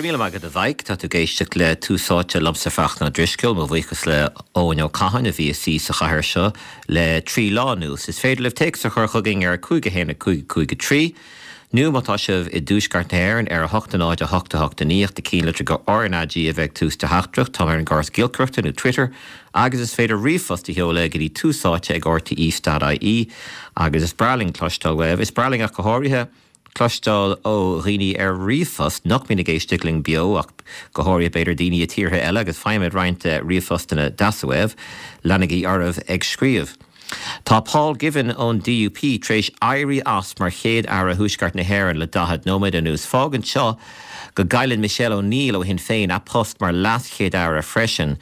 raibh míle maith agat a Mhaidhc. Tá tú ag éisteacht le Tús Áite liomsa Fachtna Ó Drisceoil. Mo bhuíochas le Eoin Ó Catháin a bhí ina suí sa chathaoir seo le 3 lá anuas. Is féidir libh téacs a chur chugainn ar 5 1 5 5 3 nó má tá sibh i dTuaisceart na hÉireann ar 8 0 8 8 9 ach do chinnlitir go RnaG a bheith ag tús do theachtaireacht. Táim ar an gcóras giolcaireachta nó Twitter agus is féidir ríomhphost a sheoladh go dtí túsáite@rte.ie agus is breá linn cloisteáil uaibh. Is breá linn ach go háirithe cloisteáil ó dhaoine ar ríomhphost nach mbíonn ag éisteacht linn beo ach go háirithe b'fhéidir daoine i tíortha eile agus faighimid roinnt ríomhphostanna deasa uaibh. Leanaigí oraibh ag scríobh. Tá Paul Givan ón DUP tar éis éirí as mar Chéad-Aire Thuaisceart na hÉireann le 40 nóiméad anuas. Fágann seo go gcailleann Michelle O'Neill ó Shinn Féin a post mar LeasChéad-Aire freisin.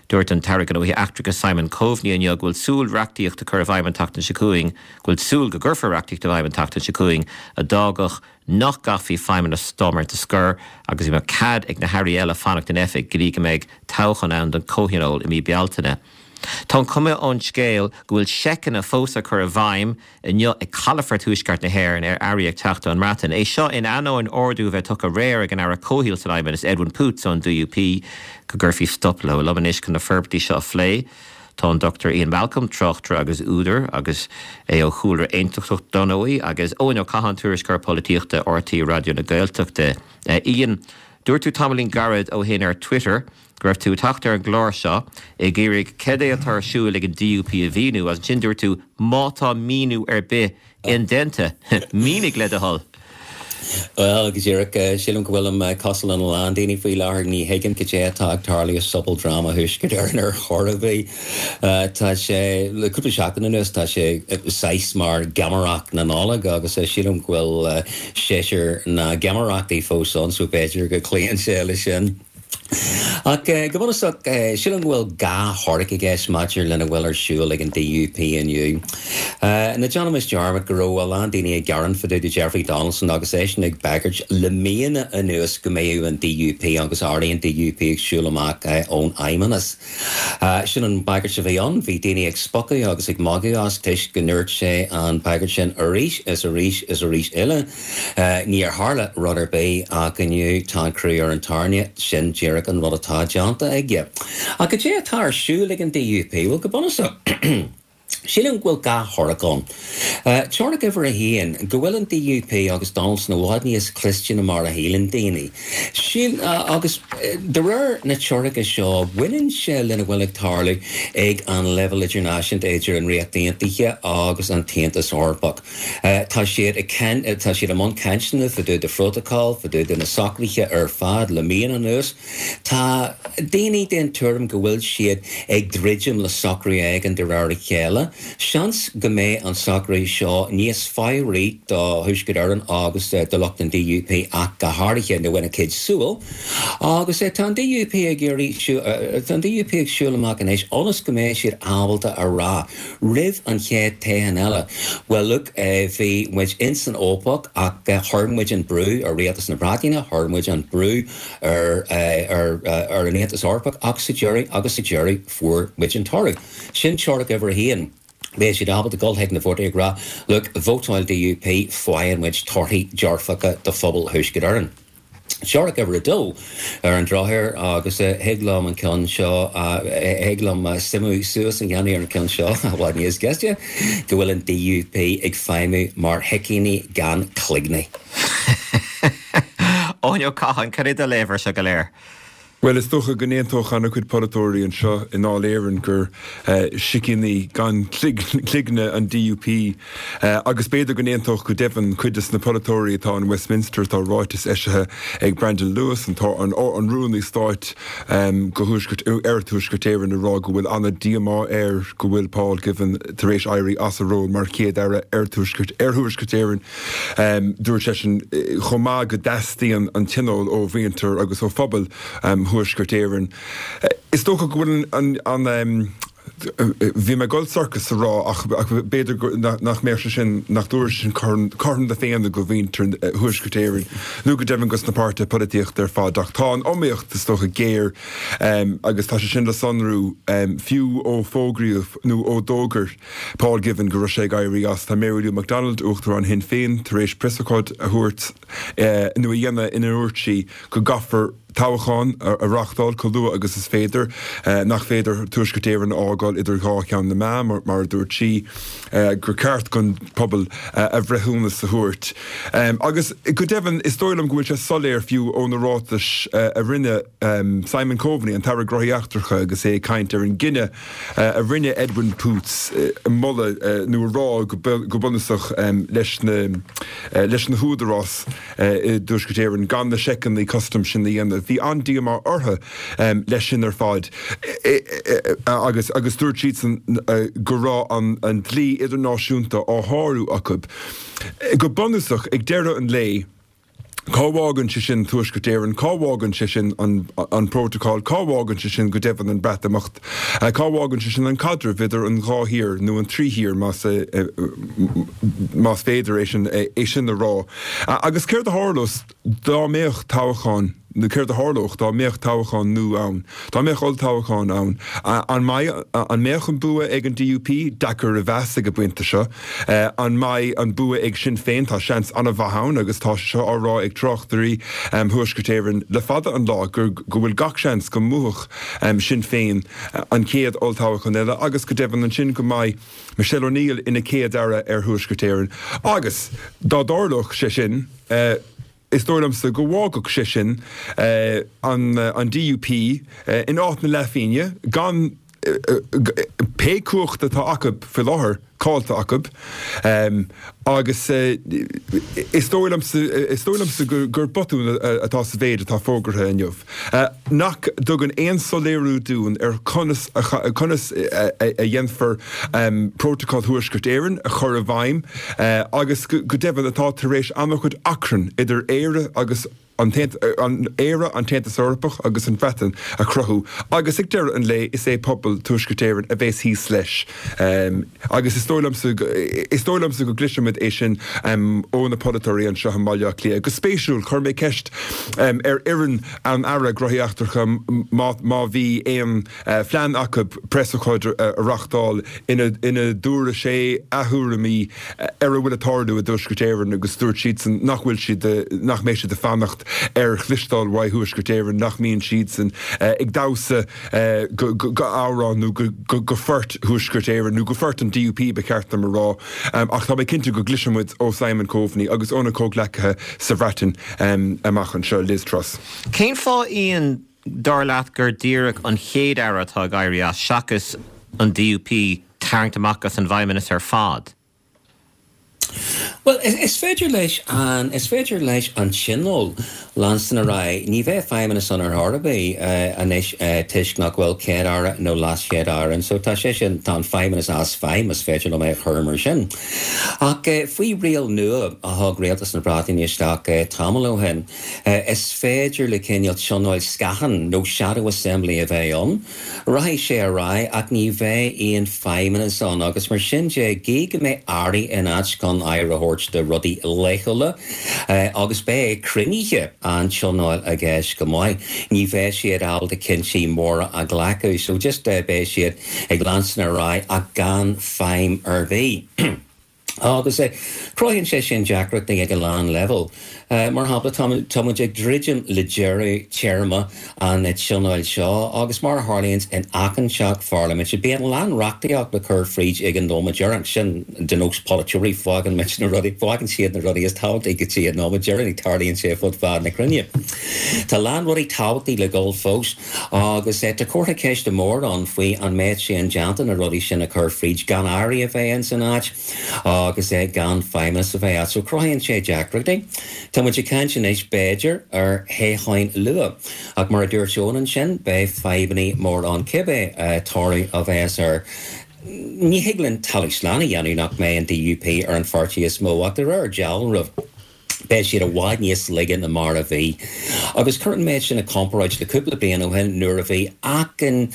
Dúirt an tAire Gnóthaí Eachtracha Simon Coveney inniu go bhfuil súil reachtaíocht a chur i bhfeidhm an tseachtain seo chugainn go bhfuil súil go gcuirfear reachtaíocht i bhfeidhm an tseachtain seo chugainn a d'fhágfadh nach gcaithfí feidhmeannas Stormont a scor agus go mbeadh cead ag na hairí eile fanacht in oifig go dtí go mbeidh toghchán ann don Chomhthionól i mí Bealtaine. Tá an chuma ón scéal go bhfuil seiceanna fós á cur i bhfeidhm inniu ag calafort Thuaisceart na hÉireann ar earraí ag teacht ón mBreatain. É seo in ainneoin ordú a bheith tugtha aréir ag an Aire Comhshaoil san Fheidhmeannas, Edwin Poots ón DUP, go gcuirfí stop leo. Liom anois chun na forbairtí seo a phlé, Tá an Dr Ian Malcolm, tráchtaire agus údar, agus é ó chúlra aontachtach dar ndóigh, agus Eoin Ó Catháin, tuairisceoir polaitíochta RTÉ Raidió na Gaeltachta. Ian, dúirt tú tamaillín gairid ó shin ar Twitter go raibh tú ag teacht ar an gclár seo ag iarraidh cad é atá ar siúl ag an DUP a mhíniú, agus ansin dúirt tú má tá míniú ar bith Indéanta. Mínigh, le do thoil. Bhuel, go díreach, sílim go bhfuilim cosúil lena lán daoine faoi láthair, ní thuigim cad é atá ag tarlú i sobaldráma Thuaisceart Éireann ar chor ar bith. Tá sé, le cúpla seachtain anuas, tá sé saghas mar gheamaireacht na Nollag agus sílim go bhfuil séasúr na geamaireachtaí fós ann so b'fhéidir go gcloíonn sé leis sin. Ach go bunúsach, sílim go bhfuil dhá theoiric i gceist maidir lena bhfuil ar siúl ag an DUP inniu. Ná déanaimis dearmad go raibh a lán daoine ag gearán fá dtaobh de Jeffrey Donaldson agus eisean ag bagairt le míonna anuas go mbeadh an DUP agus airí an DUP ag siúl amach ón Fheidhmeannas. Sin an bhagairt a bhí ann. Bhí daoine ag spochadh agus ag magadh as toisc go ndúirt sé an bhagairt sin arís is arís is arís eile. Níor tharla rud ar bith ach inniu tá an crú ar an tairne. Sin díreach an rud atá déanta aige. Ach cad é atá ar siúl ag an DUP? Bhuel, go bunúsach, sílim go bhfuil dhá theoiric ann. Teoiric uimhir a haon, go bhfuil an DUP agus Donaldson i bhfad níos cliste ná mar a shíleann daoine. Síl, agus de réir na teoirice seo, baineann sé lena bhfuil ag tarlú ag an leibhéal idirnáisiúnta idir an Ríocht Aontaithe agus an tAontas Eorpach. Tá siad ag, tá siad i mbun cainteanna fá dtaobh de phrótacal, fá dtaobh de na socruithe ar fad le míonna anuas. Tá daoine den tuairim go bhfuil siad ag druidim le socrú éigin de réir a chéile. Seans go mbeidh an socrú seo níos fabhraí do Thuaisceart Éireann agus do lucht an DUP ach go háirithe, nó ina gcuid súl. Agus tá an DUP ag iarraidh, tá an DUP ag siúl amach anois ionas go mbeidh siad ábalta a rá roimh an chéad toghchán eile, bhuel look, bhí muid ins an fhaopach ach chuir muid an brú ar Rialtas na Breataine, chuir muid an brú ar ar an Aontas Eorpach ach sa deireadh agus sa deireadh fuair muid an toradh. Sin teoiric uimhir a haon. Beidh siad ábalta dul chuig na vótóirí ag rá look, vótáil DUP, faigheann muid torthaí dearfacha do phobal Thuaisceart Éireann. Teoiric uimhir a dó ar an drochuair agus thig liom an ceann seo, thig liom suimiú suas a dhéanamh ar an gceann seo i bhfad níos gaiste, go bhfuil an DUP ag feidhmiú mar shicíní gan cloigne. Eoin Ó Catháin, cad é do léamh ar seo go léir? Bhuel, is dócha go n-aontódh an-chuid polaiteoirí anseo i nDáil Éireann gur sicíní gan cloigne an DUP agus b'fhéidir go n-aontódh go deimhin cuid de na polaiteoirí atá in Westminster. Tá ráiteas eisithe ag Brandon Lewis, an Rúnaí Stáit do Thuaisceart, ar Thuaisceart Éireann, ag rá go bhfuil an-díomá air go bhfuil Paul Givan tar éis éirí as a ról mar Chéad-Aire ar Thuaisceart Éireann. Dúirt seisean chomh maith go dteastaíonn an tionól ó mhuintir agus ó phobal Thuaisceart Éireann. Is dócha go bhfuil an. Bhí mé ag dul sorcas a rá ach b'fhéidir nach mbeadh sé sin, nach dtabharfadh sé sin cothrom na Féinne do mhuintir Thuaisceart Éireann nó go deimhin dos na páirtithe polaitíochta ar fad ach tá an iomaíocht is dócha géar agus tá sé sin le sonrú fiú ó fógraíodh nó ó d'fhógair Paul Givan go raibh sé ag éirí as. Tá Mary Lou McDonald, Uachtarán Shinn Féin, tar éis preasócáid a thabhairt nó a dhéanamh ina ndúirt sí go gcaithfear toghchán a reáchtáil chomh luath agus is féidir, nach féidir Tuaisceart Éireann a fhágáil idir dhá cheann na meá, mar a dúirt sí, gur ceart don phobal a bhreithiúnas a thabhairt. Agus go deimhin, is dóigh liom go bhfuil sé soiléir fiú ó na ráitis a rinne Simon Coveney, an tAire Gnóthaí Eachtracha, agus é ag caint ar an gcinneadh a rinne Edwin Poots moladh nó a rá go bunúsach leis na húdaráis, i dTuaisceart Éireann gan na seiceanna custaim sin a dhéanamh. Bhí an-díomá orthu leis sin ar fad agus agus dúirt siadsan go raibh an dlí idirnáisiúnta á shárú acu. Go bunúsach, ag deireadh an lae, cá bhfágann sé sin Tuaisceart Éireann? Cá bhfágann sé sin an prótacal? Cá bhfágann sé sin go deimhin an Breatimeacht? Cá bhfágann sé sin an caidreamh idir an dhá thír, nó an trí thír más más féidir é sin é sin a rá? Agus céard a tharlós dá mbeadh toghchán, nó céard a tharlódh dá mbeadh toghchán nua ann, dá mbeadh olltoghchán ann? An mbeidh, an mbeadh an bua ag an DUP? Deacair a mheas ag an bpointe seo. An mbeidh an bua ag Sinn Féin? Tá seans an-mhaith ann agus tá sé seo á rá ag tráchtairí Thuaisceart Éireann le fada an lá gur go bhfuil gach seans go mbuafadh Sinn Féin an chéad olltoghchán eile agus go deimhin ansin go mbeidh Michelle O'Neill ina Céad-Aire ar Thuaisceart Éireann. Agus dá dtarlódh sé sin, is dóigh liomsa go bhfágfadh sé sin an DUP in áit na leathphingne, gan pé cumhacht atá acu faoi láthair caillte acu. Agus is dóigh liomsa, is dóigh liomsa gur botún atá sa mhéid atá fógartha inniu. nach dtugann aon soiléiriú dúinn ar conas a conas a dhéanfar Prótacal Thuaisceart Éireann a chur i bhfeidhm agus go deimhin atá tar éis an-chuid achrann idir Éire agus an Éire, an tAontas Eorpach agus an Bhreatain a chruthú agus ag deireadh an lae is é pobal Tuaisceart Éireann a bheas thíos leis. Agus is dóigh liomsa, is dóigh liomsa go gcloisfimid é sin ó na polaiteoirí anseo i mBaile Átha Cliath. Go spéisiúil, chuir mé ceist ar fhoireann an Aire Gnóthaí Eachtracha má má bhí aon phlean acu preasócáid a reáchtáil ina ina dtabharfadh sé a thuairimí ar a bhfuil ag tarlú i dTuaisceart Éireann agus dúirt siadsan nach bhfuil siad, nach mbeidh siad ag fanacht ar chloisteáil uaidh Thuaisceart Éireann, nach mbíonn siadsan ag damhsa go amhrán nó go phort Thuaisceart Éireann, nó go phort an DUP ba cheart dom a rá, ach tá mé cinnte go gcloisfidh muid ó Simon Coveney agus óna chomhghleacaithe sa Bhreatain amach anseo. Liz Truss. Cén fáth, Ian, dar leat, gur díreach an Chéad-Aire atá ag éirí as, seachas an DUP tarraingt amach as an bhFeidhmeannas ar fad? Bhuel, is féidir leis an, is féidir leis an Tionól leanstan ar aghaidh. Ní bheidh feidhmeannas ann ar chor ar bith anois toisc nach bhfuil Céad-Aire nó LeasChéad-Aire ann. So tá sé sin, tá an feidhmeannas as feidhm, is féidir liom é a chur mar sin. Ach faoi riail nua a thug Rialtas na Breataine isteach tamall ó shin, is féidir le cineál tionóil scátháin nó shadow assembly a bheith ann. Rachaidh sé ar aghaidh ach ní bheidh aon feidhmeannas ann agus mar sin de, gidh go mbeidh airí in áit chun aire a thabhairt do rudaí laethúla agus beidh cruinnithe an tionóil i gceist go maith, ní bheidh siad ábalta cinntí móra a ghlacadh so just beidh siad ag leanstan ar aghaidh ach gan feidhm ar bith. Agus cruthaíonn sé sin deacrachtaí ag a lán leibhéal. Mar shampla, tá muid ag druidim le deireadh téarma an tionóil seo agus mar a tharlaíonns in achan teach pharlaiminte, bíonn a lán reachtaíocht le cur fríd ag an nóiméad deireanach. Sin de nós polaiteoirí, fágann muid na rudaí, fágann siad na rudaí is tábhachtaí go dtí an nóiméad deireanach, tarlaíonn sé fud fad na cruinne. Tá a lán rudaí tábhachtaí le dhul fós agus tá comhartha ceiste mór ann faoi an mbeidh sé indéanta na rudaí sin a chur fríd gan airí a bheith ins an áit. agus gan feidhmeannas a bheith ann. So cruthaíonn sé deacrachtaí. Tá muid ag caint anois, b'fhéidir, ar thoghcháin luath. Ach mar a dúirt Eoin ansin, beidh fadhbannaí mór ann cibé toradh a bheas air. Ní thig linn talamh slán a dhéanamh nach mbeidh an DUP ar an pháirtí is mó, ach de réir dealraimh. Beidh siad i bhfad níos laige ná mar a bhí. Agus cuir an méid sin i comparáid le cúpla bliain ó shin nuair a bhí achan,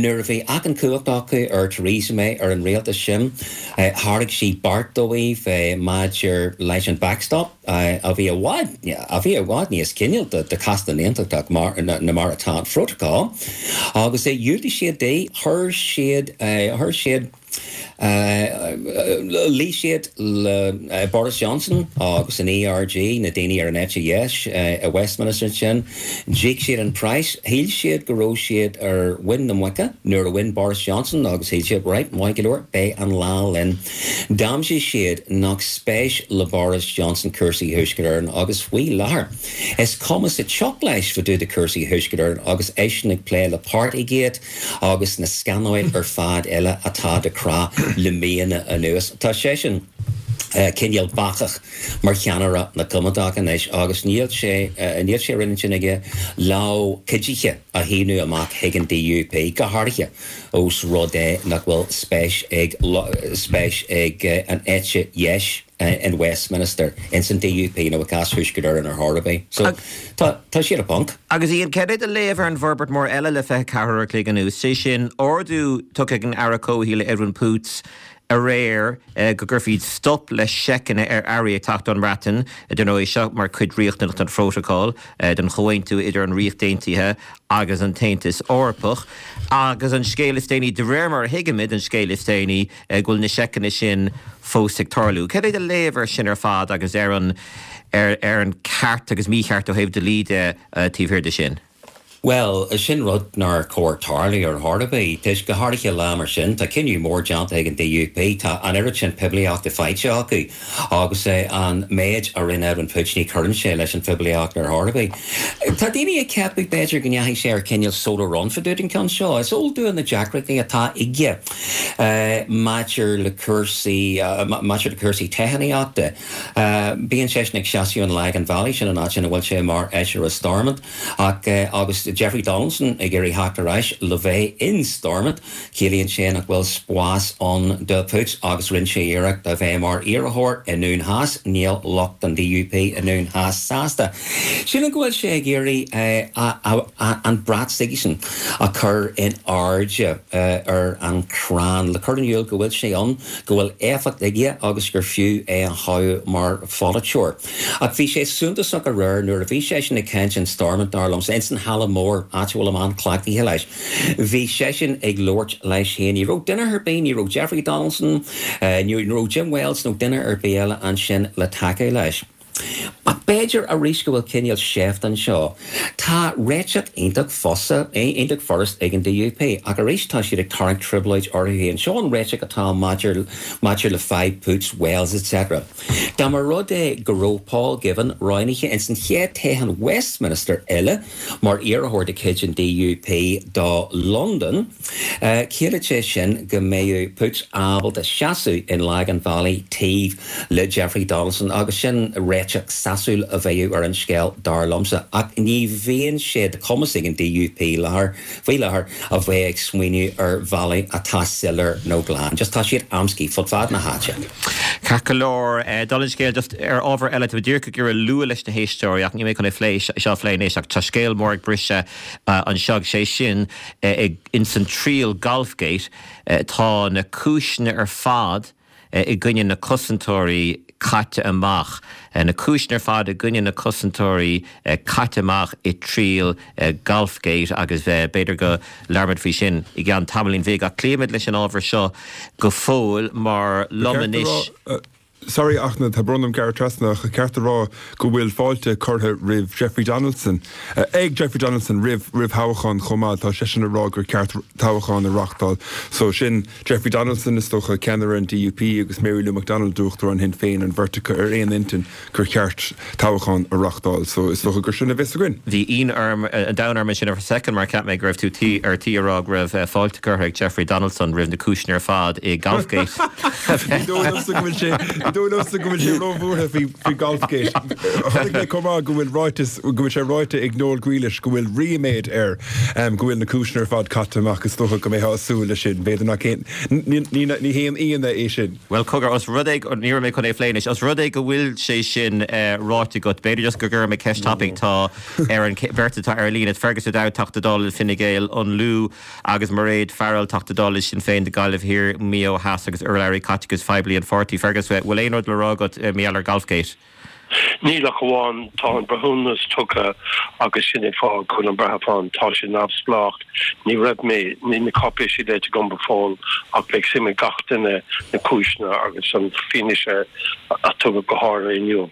nuair a bhí achan cumhacht acu ar Theresa May, ar an rialtas sin. Thairg sí beart dóibh maidir leis an backstop a bhí i bhfad, a bhí i bhfad níos cineálta do chás na nAontachtach ná mar atá an Phrótacal. Agus dhiúltaigh siad di, chuir siad, chuir siad. Luigh siad le Boris Johnson agus an ERG, na daoine ar an eite dheis i Westminster ansin. D'íoc siad an praghas. Shíl siad go raibh siad ar mhuin na muice nuair a bhain Boris Johnson agus shíl siad, right, maith go leor, beidh an lá linn. D'aimsigh siad nach spéis le Boris Johnson cúrsaí Thuaisceart Éireann agus faoi láthair is cuma sa tsioc leis fá dtaobh de cúrsaí Thuaisceart Éireann agus eisean ag plé le Partygate. agus na scannáil ar fad eile atá de crá le míonna anuas. Tá seisean cineál bacach mar cheannaire na gCoimeádach anois agus níl sé níl sé ar intinn aige lámh cuidithe a shíneadh amach chuig an DUP, go háirithe ós rud é nach bhfuil spéis ag spéis ag an eite dheis. in Westminster, ins an DUP nó i gcás Thuaisceart Éireann ar chor ar bith. So, tá, tá siad i bponc. Agus Ian, cad é do léamh ar an bhforbairt mór eile le 24 uair a chloig anuas, sé sin, ordú tugtha ag an Aire Comhshaoil Edwin Poots aréir go gcuirfí stop le seiceanna ar earraí ag teacht ón mBreatain, dar ndóigh, seo mar chuid riachtanach den phrótacal, den chomhaontú idir an Ríocht Aontaithe agus an tAontas Eorpach. Agus an scéal is déanaí, de réir mar a thuigimid, an scéal is déanaí, go bhfuil na seiceanna sin fós ag tarlú. Cad é do léamh air sin ar fad agus ar an ar an ceart agus mícheart ó thaobh dlí de taobh thiar de sin? Bhuel, sin rud nár chóir tarlú ar chor ar bith, toisc, go háirithe lá mar sin, tá cinneadh mór déanta ag an DUP, tá an oiread sin poiblíochta faighte acu agus an méid a rinne Edwin Poots, ní chuireann sé leis an phoiblíocht ar chor ar bith. Tá daoine ag ceapadh, b'fhéidir, go ndeachaigh sé ar cineál solo run fá dtaobh den cheann seo. Is eol dúinn na deacrachtaí atá aige maidir le cúrsaí, maidir le cúrsaí toghchánaíochta. Bíonn seisean ag seasamh in Lagan Valley, sin an áit ina bhfuil sé mar fheisire Stormont, ach agus Jeffrey Donaldson ag iarraidh theacht ar ais le bheith in Stormont, Ciallaíonn sé nach bhfuil spás ann do Poots agus rinne sé iarracht a bheith mar iarrthóir i nDún Theas. Níl lucht an DUP i nDún Theas sásta. Sílim go bhfuil sé ag iarraidh an brat s'aigesean a chur in airde ar an chrann le cur in iúl go bhfuil sé ann, go bhfuil éifeacht aige agus gur fiú é a thoghadh mar pholaiteoir. Ach bhí sé suntasach aréir nuair a bhí seisean ag caint in Stormont, dar liomsa, ins an halla mór, áit a bhfuilim an-chleachtaithe leis. Bhí seisean ag labhairt leis féin. Ní raibh duine ar bith, ní raibh Jeffrey Donaldson, ní raibh Jim Wells nó duine ar bith eile ansin le tacú leis. Ach b'fhéidir arís go bhfuil cineál seift anseo. Tá réiteach iontach fusa, iontach furast ag an DUP, ach arís tá siad ag tarraingt trioblóid orthu féin. Seo an réiteach atá maidir maidir le fadhb Poots, Wells etc. Dá mba rud é go raibh Paul Givan roghnaithe ins an chéad toghchán Westminster eile, Mar iarrthóir de chuid an DUP do Londain, chiallaigh sé sin go mbeadh Poots ábalta seasamh in Lagan Valley taobh le Jeffrey Donaldson agus sin réiteach sásúil a bheadh ar an scéal, dar liomsa. Ach ní bhíonn sé de chumas ag an DUP láthair, faoi láthair, a bheith ag smaoineamh ar bhealaí atá soiléir nó glan. Just tá siad amscaí fud fad na háite. Ceart go leor, dála an scéil, just ar ábhar eile, tá mé díreach ag iarraidh lua leis na héisteoirí ach níl mé chun é phlé, seo a phlé anois ach tá scéal mór ag briseadh anseo agus sé sin ins an triail Golfgate tá na cúiseanna ar fad i gcoinne na cosantóirí caite amach. Na cúiseanna ar fad i gcoinne na cosantóirí caite amach i triail Golfgate agus b'fhéidir go labhróimid faoi sin i gceann tamaillín bhig ach cloífimid leis an ábhar seo go fóill mar liom anois. Sorry a Fhachtna, tá brón orm gearradh trasna ach ceart a rá go bhfuil fáilte curtha roimh Jeffrey Donaldson, ag Jeffrey Donaldson roimh roimh thoghchán chomh maith. Tá seisean ag rá gur ceart toghchán a reáchtáil. So sin Jeffrey Donaldson is dócha, ceannaire an DUP agus Mary Lou McDonald, Uachtarán Shinn Féin, an bheirt acu ar aon intinn gur cheart toghchán a reáchtáil. So is dócha gur sin a bheas againn. Bhí ionadh an domhain orm ansin ar soicind mar cheap mé go raibh tú tí ar tí a rá go raibh fáilte curtha ag Jeffrey Donaldson roimh na cúiseanna ar fad i Golfgate. Ní dóigh liomsa go bhfuil sé, ní dóigh liomsa go bhfuil sé róbhuartha faoi Golfgate. Chonaic mé chomh maith go bhfuil ráiteas, go bhfuil sé ráite ag Noel Grealish go bhfuil ríméad air go bhfuil na cúiseanna ar fad caite amach. Is dócha go mbeifeá ag súil leis sin. B'fhéidir nach aon, ní haon ionadh é sin. Bhuel, cogar, os rud é, ní raibh mé chun é a phlé anois, os rud é go bhfuil sé sin ráite agat, b'fhéidir just go gcuirfidh mé ceist tapaidh, tá ar an bheirt atá ar líne, Fergus O'Dowd, Teachta Dála le Fine Gael, an Lú, agus Mairéad Farrell, Teachta Dála le Sinn Féin do Gaillimh Thiar, Maigh Eo Theas agus urlabhraí caiteachais phoiblí an pháirtí. Fergus, bhfuil aon rud le rá agat mar gheall ar Golfgate? Níl ach amháin tá an breithiúnas tugtha agus sin é fáth go bhfuil an breitheamh ann. Tá sé neamhspleách. Ní raibh mé, níl na cáipéisí léite agam go fóill ach beidh suim ag gach duine na cúiseanna agus an fianaise a tugadh go háirithe inniu.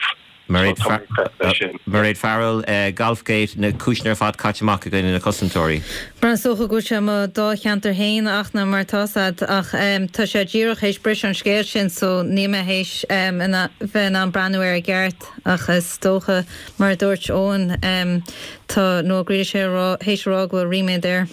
Mairéad Farrell, Golfgate, na cúiseanna ar fad caite amach i gcoinne na cosantóirí. Mar is dócha go bhfuil sé i mo dáilcheantar féin a Fhachtna mar tá 's a'd ach tá sé díreach théis briseadh an scéal sin so níl mé théis bheith in ann breathnú air i gceart ach is dócha mar a dúirt Eoin tá Noel Grealish théis a rá go bhfuil ríméad air.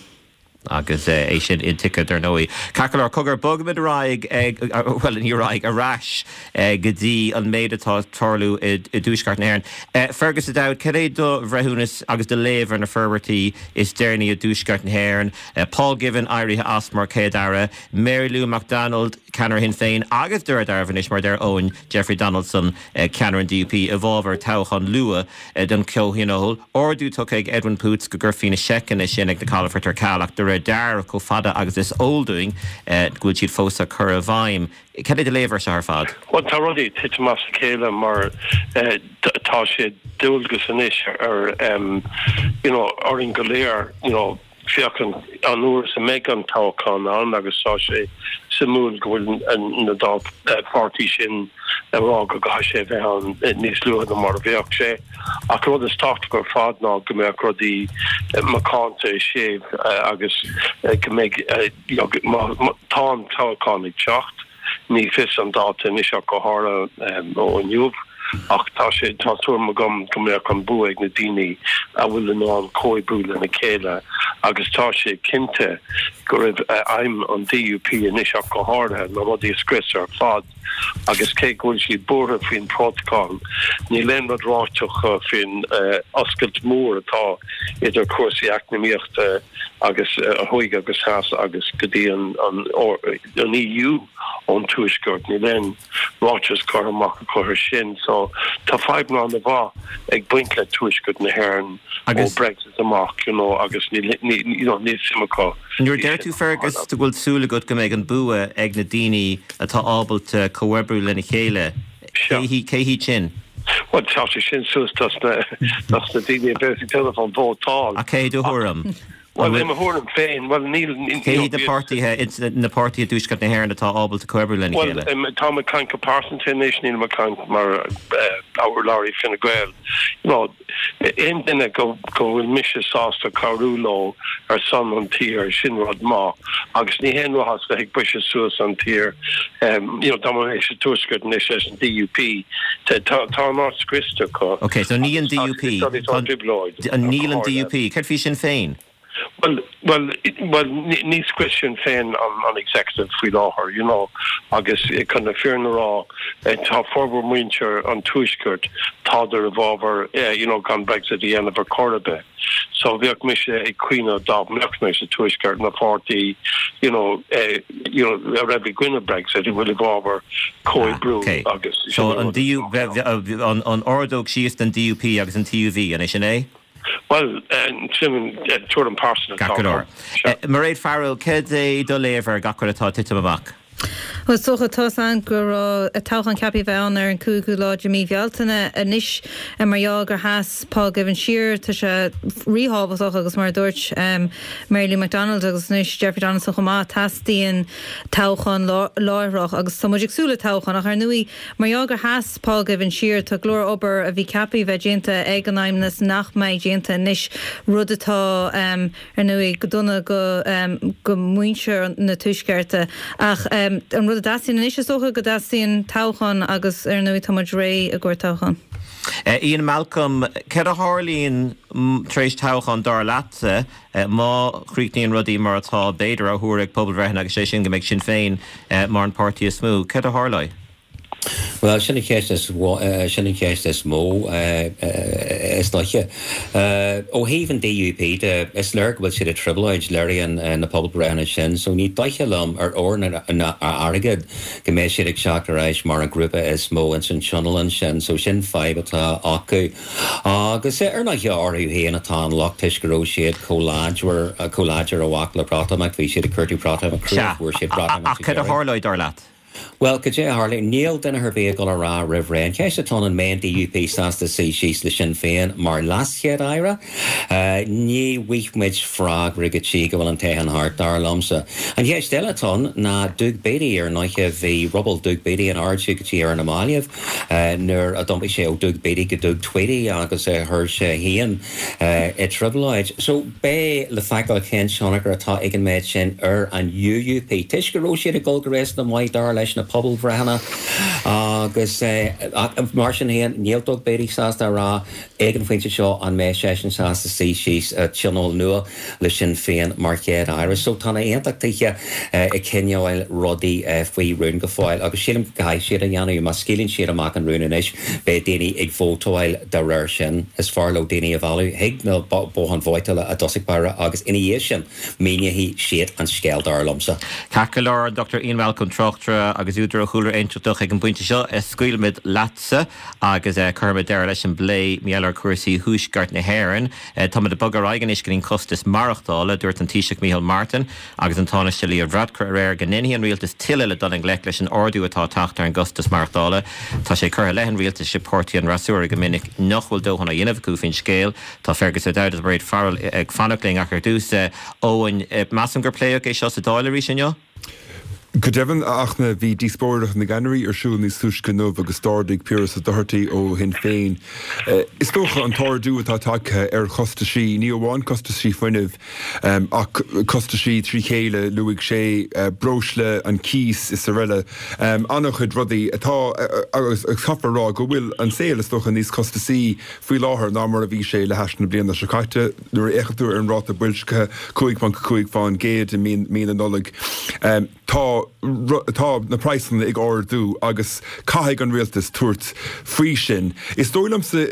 Agus é sin intuigthe, dar ndóigh. Ceart go leor, cogar, bogfaimid ar aghaidh, bhuel, ní ar aghaidh, ar ais go dtí an méid atá ag tarlú i dTuaisceart na hÉireann. Fergus O'Dowd, cad é do bhreithiúnas agus do léamh ar na forbairtí is deireanaí i dTuaisceart na hÉireann? Paul Givan éirithe as mar Chéad-Aire, Mary Lou McDonald, ceannaire Shinn Féin, agus de réir dealraimh anois, mar a deir Eoin, Jeffrey Donaldson, ceannaire an DUP, i bhfabhar toghchán luath don Chomhthionól. Ordú tugtha ag Edwin Poots go gcuirfí na seiceanna sin ag na calafoirt ar ceal ach de réir dealraimh, chomh fada agus is eol dúinn, go bhfuil siad fós á cur i bhfeidhm. Cad é do léamh air seo ar fad? Bhuel, tá rudaí ag titim as a chéile mar tá sé dualgas anois ar you know orainn go léir you know féachaint an uair is a mbeidh an toghchán ann agus tá sé suimiúil go bhfuil na dá pháirtí sin ag rá go gcaithfidh sé a bheith ann níos luaithe ná mar a bheadh sé. Ach an rud is tábhachtaí ar fad ná go mbeadh rudaí macánta séimh agus go mbeidh, má tá an toghchán ag teacht, Ní fios an dáta anois ach go háirithe ó inniu, ach tá sé, tá tuairim agam go mbeadh an bua ag na daoine a bhfuil in ann comhoibriú lena chéile agus tá sé cinnte go raibh aidhm an DUP anois ach go háirithe na rudaí a scriosadh ar fad agus cé go bhfuil siad buartha faoin bprótacal, níl aon rud ráite acu faoin oscailt mór atá idir cúrsaí eacnamaíochta agus thuaidh agus theas agus go dtí an an EU ón Tuaisceart. Níl aon ráiteas curtha amach acu air sin. So tá fadhbanna an-mhaith ag baint le Tuaisceart na hÉireann ó Brexit amach, you know, agus níl, you know, níl suim acu. Nuair a deir tú, Fergus, go bhfuil súil agat go mbeidh an bua ag na daoine atá ábalta comhoibriú lena chéile, cé hiad sin? Bhuel, tá sé sin suas dos na, dos na daoine a bheas ag déanamh an vótáil. Ach cé i do thuairim? Bhuel, i mo thuairim féin, bhuel, níl... Cé hiad na páirtithe, na páirtithe i dTuaisceart na hÉireann atá ábalta comhoibriú lena chéile? Bhuel, táim ag caint go pearsanta anois, nílim ag caint mar urlabhraí Fine Gael. You know, aon duine go bhfuil mise sásta cabhrú leo ar son an tír, sin rud maith. Agus ní haon mhaitheas bheith ag briseadh suas an tír, you know, dá mbeadh mé sa Tuaisceart anois leis an DUP, tá an áit scriosta acu. Ok, so ní an DUP, níl an DUP, céard faoi Sinn Féin? Bhuel, bhuel, bhuel, ní scrios Sinn Féin an executive faoi láthair, you know, agus chun na fírinne a rá, tá formhór muintir an Tuaiscirt, tádar i bhfabhar, you know, gan Brexit a dhéanamh ar chor ar bith. So bheadh mise ag caoineadh dá mbeadh mé sa Tuaisceart na pháirtí you know you know a raibh i gcoinne Brexit a bhfuil i bhfabhar comhoibriú agus So an DU an an ordóg síos don DUP agus an TUV an é sin é? Bhuel sin tuairim pearsanta atá agam. Mairéad Farrell, cad é do léamh ar gach rud atá ag titim amach? Bhuel, is dócha, tá's a'inn go raibh toghchán ceaptha a bheith ann ar an 5ú lá de mí Bhealtaine. Anois, mar gheall gur sheas Paul Givan siar, tá sé ríthábhachtach agus mar a dúirt Mary Lou McDonald agus anois Jeffrey Donaldson chomh maith, teastaíonn toghchán láithreach agus tá muid ag súil le toghchán. Ach ar ndóigh, mar gheall gur sheas Paul Givan siar, tá go leor obair a bhí ceaptha a bheith déanta ag an Fheidhmeannas nach mbeidh déanta anois, rud atá. ar ndóigh, go dona go muintir na Tuaiscearta. Ach an rud a dteastaíonn anois, is dócha go dteastaíonn toghchán agus, ar ndóigh, tá muid réidh i gcomhair toghchán. Ian Malcolm, céard a tharlaíonn tar éis toghchán, dar leatsa, má chríochnaíonn rudaí mar atá, b'fhéidir, á thuar ag pobalbhreitheanna agus sé sin go mbeidh Sinn Féin mar an páirtí is mó, céard a tharlóidh? Bhuel, sin an cheist is, sin an cheist is mó, is dóiche. Ó thaobh an DUP de, is léir go bhfuil siad i dtrioblóid, léiríonn na pobalbhreitheanna sin, so ní dóiche liom ar ór ná airgead go mbeidh siad ag teacht ar ais mar an grúpa is mó ins an tionól ansin, so sin fadhb atá acu. Agus ar ndóighe orthu féin atá an locht toisc go raibh siad chomh láidir, chomh láidir a bhac le Breatimeacht, bhí siad ag cuartú Breatimeacht crua, Sea, fuair siad Breatimeacht ach sa cad a deireadh. tharlóidh, dar leat? Bhuel, cad é a tharlóidh? Níl duine ar bith ag dul a rá roimh ré. An cheist atá ann, an mbeidh an DUP sásta suí síos le Sinn Féin mar leas-Chéad-Aire? Ní bhfaighidh muid freagra go dtí go bhfuil an toghchán thart, dar liomsa. An cheist eile atá ann ná Doug Beattie. Ar ndóighe, bhí ruball Doug Beattie in airde go dtí ar na mallaibh nuair a d'iompaigh sé ó Doug Beattie go Doug Tweedy agus chuir sé féin i dtrioblóid. So, beidh le feiceáil cén tionchar atá ag an méid sin ar an UUP, toisc go raibh siad ag dul go réasúnta maith dar leis na pobalbhreitheanna agus mar sin féin, níl Doug Beattie sásta a rá ag an phointe seo an mbeidh seisean sásta suí síos i dtionól nua le Sinn Féin mar Chéad-Aire. So tá na hAontachtaithe ag coinneáil rudaí faoi rún go fóill agus sílim go gcaithfidh siad a dhéanamh. Má scaoileann siad amach an rún anois, beidh daoine ag vótáil dá réir sin. Is fearr leo daoine a mhealladh chuig na botháin vótála i dtosach báire agus ina dhiaidh sin míneoidh siad an scéal, dar liomsa. Ceart go leor, an Dr Ian Malcolm, tráchtaire agus údar ó chúlra aontachtach ag an bpointe seo, scaoilfimid leatsa agus cuirfimid deireadh leis an bplé mar gheall ar chúrsaí Thuaisceart na hÉireann. Táimid ag bogadh ar aghaidh anois go dtí an costas maireachtála. Dúirt an Taoiseach Micheál Martin agus an Tánaiste Leo Varadkar aréir go ndéanfaidh an rialtas tuilleadh le dul i ngleic leis an ardú atá ag teacht ar an gcostas maireachtála. Tá sé curtha i leith an rialtais ag páirtí an fhreasúra go minic nach bhfuil dóthain á dhéanamh acu faoin scéal. Tá Fergus O'Dowd agus Mairéad Farrell ag fanacht linn ach ar dtús, Eoin, measaim gur pléadh é seo sa Dáil arís inniu? Go deimhin, a Fhachtna, bhí díospóireacht na gceannairí ar siúl níos túisce inniu agus d'ardaigh Piaras Ó Dochartaigh ó Shinn Féin, is dócha, an t-ardú atá tagtha ar chostaisí, ní amháin costaisí fuinnimh ach costaisí trí chéile, luaigh sé breosla, an cíos is araile, an-chuid rudaí atá, agus caithfear a rá go bhfuil an saol, is dócha, níos costasaí faoi láthair ná mar a bhí sé le hais na bliana seo caite. Nuair a fhéachann tú ar an ráta boilscithe, 5.5% i mí na Nollag, tá tá na praghsanna ag ardú agus caithfidh an rialtas tabhairt faoi sin. Is dóigh liomsa,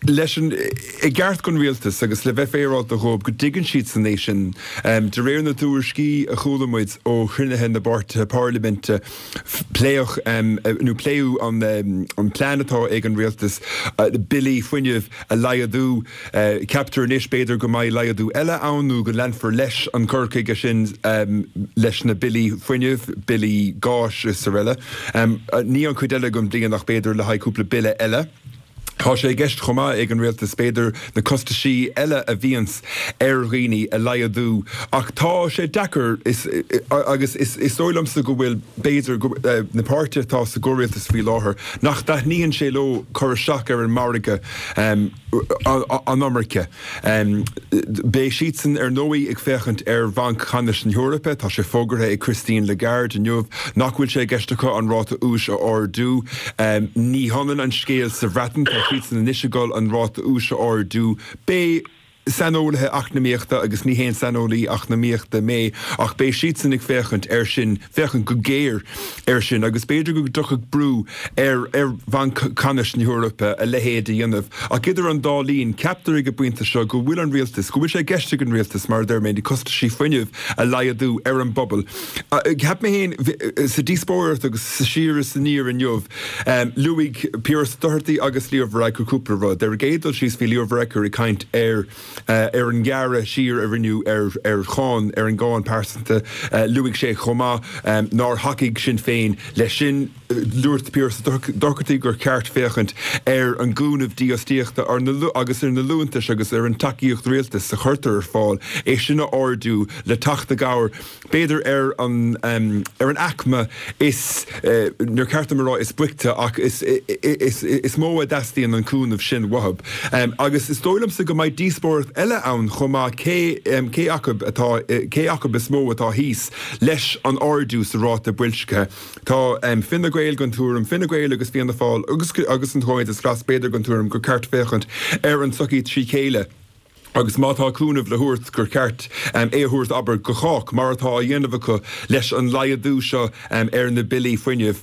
leis an i gceart don rialtas agus le bheith féaráilte dhóibh, go dtuigeann siadsan é sin. De réir na dtuairiscí a chuala muid ó chruinnithe na bpáirtithe parlaiminte, pléadh nó pléadh an plean atá ag an rialtas billí fuinnimh a laghdú. Ceaptar anois, b'fhéidir, go mbeidh laghdú eile ann nó go leanfar leis an gcur chuige sin leis na billí fuinnimh, billí gáis is araile. Ní an chuid eile den bhliain ach b'fhéidir le haghaidh cúpla bille eile. Tá sé i gceist chomh maith ag an rialtas, b'fhéidir, na costaisí eile a bhíonns ar dhaoine a laghdú ach tá sé deacair agus is dóigh liomsa go bhfuil, b'fhéidir, na páirtithe atá sa gcomhrialtas faoi láthair, nach dtaitníonn sé leo cur isteach ar an margadh. an iomarca. Beidh siadsan ar ndóigh ag féachaint ar Bhanc Ceannais na hEorpa. Tá sé fógartha ag Christine Lagarde inniu nach bhfuil sé i gceist acu an ráta úis a ardú. Ní hionann an scéal sa Bhreatain, tá siadsan anois ag dul an ráta úis a ardú. Beidh saineolaithe eacnamaíochta, agus ní haon saineolaí eacnamaíochta mé, ach beidh siadsan ag féachaint air sin, féachaint go géar air sin agus b'fhéidir go dtiocfadh brú ar ar Bhanc Ceannais na hEorpa a leithéid a dhéanamh. Ach idir an dá linn, ceaptar ag an bpointe seo go bhfuil an rialtas, go bhfuil sé i gceist ag an rialtas, mar a deir mé, na costaisí fuinnimh a laghdú ar an bpobal. Cheap mé féin, sa díospóireacht agus sa siar is aniar inniu, luaigh Piaras Ó Dochartaigh agus Leo Varadkar cúpla rud. Ar an gcéad dul síos, bhí Leo Varadkar ag caint ar ar an ngearradh siar a rinneadh ar ar cháin, ar an gcáin pearsanta. Luaigh sé chomh maith nár thacaigh Sinn Féin leis sin. Dúirt Piaras Ó Dochartaigh gur cheart féachaint ar an gcúnamh dífhostaíochta agus ar na liúntais agus ar an tacaíocht rialtais a chuirtear ar fáil, é sin a ardú le teacht i gcabhair b'fhéidir ar an ar an aicme is, níor cheart dom a rá is boichte ach is is mó a dteastaíonn an cúnamh sin uathu. Agus is dóigh liomsa go mbeidh díospóireacht eile ann chomh maith cé cé acu atá cé acu is mó atá thíos leis an ardú sa ráta boilscithe. Tá Fine Gael den tuairim, Fine Gael agus Fianna Fáil agus agus an Comhaontas Glas b'fhéidir den tuairim gur ceart féachaint ar an tsochaí trí chéile. Agus má tá cúnamh le thabhairt, gur cheart é a thabhairt, abair, go chách, mar atá á dhéanamh acu leis an laghdú seo ar na billí fuinnimh.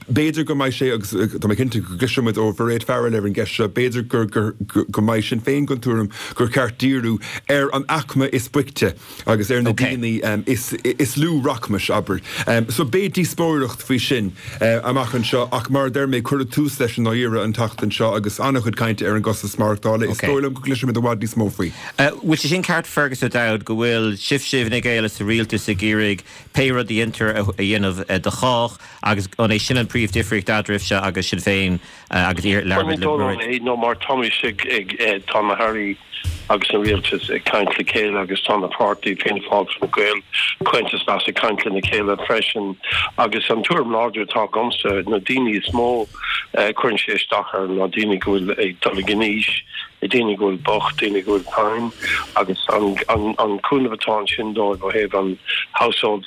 B'fhéidir go mbeidh sé, agus tá mé cinnte go gcloisfidh muid ó Mhairéad Farrell ar an gceist seo, b'fhéidir go mbeidh Sinn Féin den tuairim gur cheart díriú ar an aicme is boichte. agus ar na daoine is lú rachmais, abair. So beidh díospóireacht faoi sin amach anseo ach mar a deir mé, cuireadh tús leis i ndáiríre an tseachtain seo agus an-chuid cainte ar an gcostas maireachtála. Is dóigh liom go gcloisfimid i bhfad níos mó faoi. Bhfuil sé sin ceart Fergus O'Dowd go bhfuil sibhse i bhFine Gael is sa rialtas ag iarraidh pé rud a dhéantar a dhéanamh do chách agus an é sin an príomh-difríocht eadraibhse agus Sinn Féin agus iar Bhuel ní dóigh liom é nó mar táimís ag ag tá na hairí agus an rialtas ag caint le chéile agus tá na páirtí Fianna Fáil Fine Gael Comhaontas Glas ag caint lena chéile freisin agus an tuairim láidir atá agamsa na daoine is mó a cuireann sé isteach air ná daoine go bhfuil ag dul in aois daoine go bhfuil bocht daoine go bhfuil tinn agus an an an cúnamh atá ansin dóibh ó thaobh an household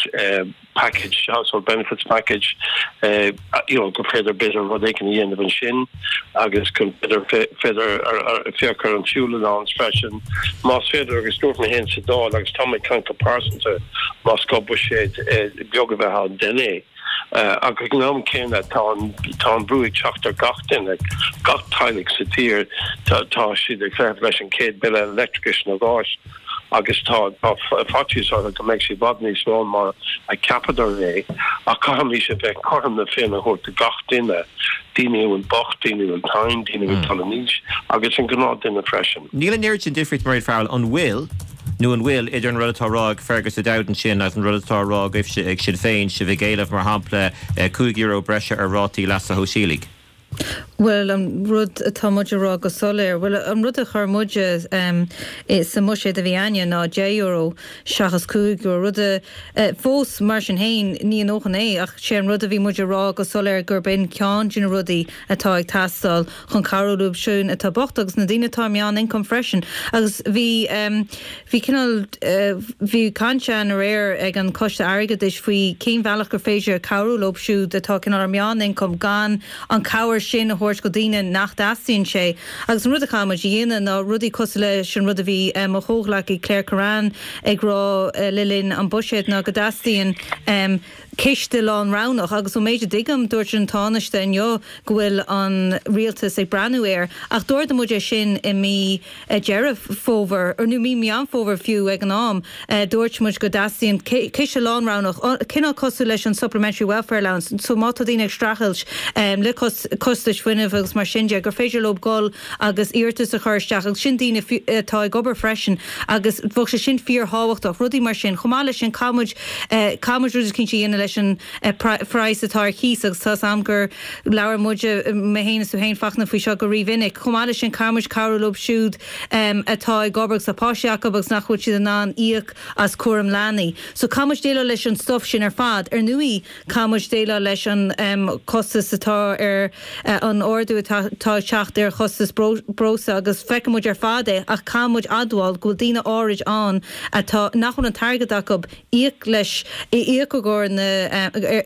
package, household benefits package, you know, gur féidir b'fhéidir rud éigin a dhéanamh ansin agus go b'fhéidir féidir féach ar an fuel allowance freisin más féidir agus dúirt mé féin sa Dáil agus tá mé ag caint go pearsanta más gá buiséad beag a bheith ann déan é. Ach ag an am céanna tá an tá an brú ag teacht ar gach duine, gach teaghlach sa tír, tá siad ag feitheamh leis an chéad bille leictreachais nó gáis. agus tá faitíos orthu go mbeidh sé i bhfad níos mó mar a cheapadar é, ach caithfimís a bheith cothrom na Féinne a thabhairt do gach duine, daoine a bhfuil bocht, daoine a bhfuil tinn, daoine a bhfuil ag dul in aois agus an gnáthduine freisin. Níl an oiread sin difríocht, Mairéad Farrell, an bhfuil, nó an bhfuil, idir an rud atá á rá ag Fergus O'Dowd ansin agus an rud atá á rá agaibhse ag Sinn Féin, sibh ag éileamh, mar shampla, €5 breise ar rátaí leasa shóisialaigh? Bhuel, an rud atá muid a rá go soiléir, bhuel, an rud a chuir muide sa mbuiséad a bhí againne ná €10 seachas €5, rud a, fós, mar sin féin, ní a ndóthain é, ach sé an rud a bhí muid a rá go soiléir gurb in ceann de na rudaí atá ag teastáil chun cabhrú leo siúd atá bocht agus na daoine atá ar meán-ioncam freisin. Agus bhí, bhí cineál, bhí caint ann aréir ag an Coiste Airgeadais faoi cén bhealach gur féidir cabhrú leo siúd atá cineál ar meán-ioncam gan an cabhair sin a thabhairt go daoine nach dteastaíonn sé. Agus an rud a chaithfidh muid a dhéanamh ná rudaí cosúil leis an rud a bhí mo chomhghleacaí Claire Kerrane ag rá le linn an buiséad ná go dteastaíonn ciste lánroghnach agus ón méid a dtuigim dúirt an Tánaiste inniu go bhfuil an rialtas ag breathnú air ach d'ardaigh muid é sin i mí Deireadh Fómhair, nó mí Meán Fómhair fiú ag an am, dúirt muid go dteastaíonn ciste lánroghnach, cineál cosúil leis an Supplementary Welfare Allowance, so má tá daoine ag streachailt le costais fuinnimh agus mar sin de, gur féidir leo dul agus iarratas a chur isteach agus sin daoine atá ag obair freisin agus bheadh sé sin fíorthábhachtach, rudaí mar sin. Chomh maith leis sin, caithfidh muid, caithfidh muid rud eicínt a dhéanamh leis an praghas atá ar chíos agus tá 'fhios a'm gur labhair muide, mé féin is tú féin, Fachtna, faoi seo go rímhinic. Chomh maith leis sin, caithfidh muid cabhrú leo siúd atá ag obair agus tá páistí acu agus nach bhfuil siad in ann íoc as cúram leanaí. So caithfidh muid déileáil leis an stuif sin ar fad. Ar ndóigh, caithfidh muid déileáil leis an costas atá ar an ardú atá ag teacht ar chostas breosla agus feiceann muid ar fad é ach caithfidh muid admháil go bhfuil daoine áirid ann atá, nach bhfuil an t-airgead acu íoc leis, íoc i gcomhair na,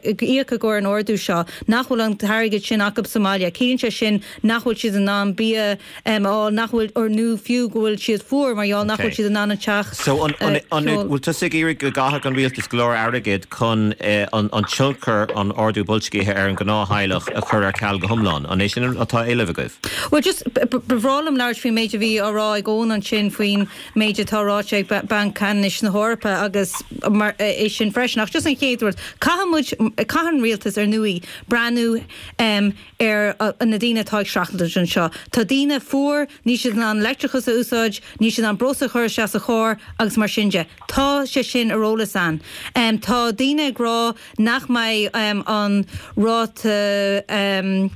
íoc i gcomhair an ardú seo, nach bhfuil an t-airgead sin acu sa mbaile. Ciallaíonn sé sin nach bhfuil siad in ann bia a fháil, nach bhfuil, or nó fiú go bhfuil siad fuar mar gheall nach bhfuil siad in ann an teach So an, an, an, bhfuil tusa ag iarraidh go gcaithfeadh an rialtas go leor airgid chun an tionchar an ardú boilscithe ar an ghnáth-theaghlach a chur ar ceal go hiomlán? An é sin atá á éileamh agaibh? Bhuel, just, ba bhreá liom labhairt faoin méid a bhí á rá ag Eoin ansin faoin méid atá ráite ag Banc Ceannais na hEorpa agus mar é sin freisin. Ach just an chéad rud, caithfidh muid, caithfidh an rialtas ar ndóigh breathnú ar na daoine atá ag streachailt anseo. Tá daoine fuar, níl siad in ann leictreachas a úsáid, níl siad in ann breosla a chur isteach sa charr agus mar sin de. Tá sé sin ar eolas a'inn. Tá daoine ag rá nach mbeidh an ráta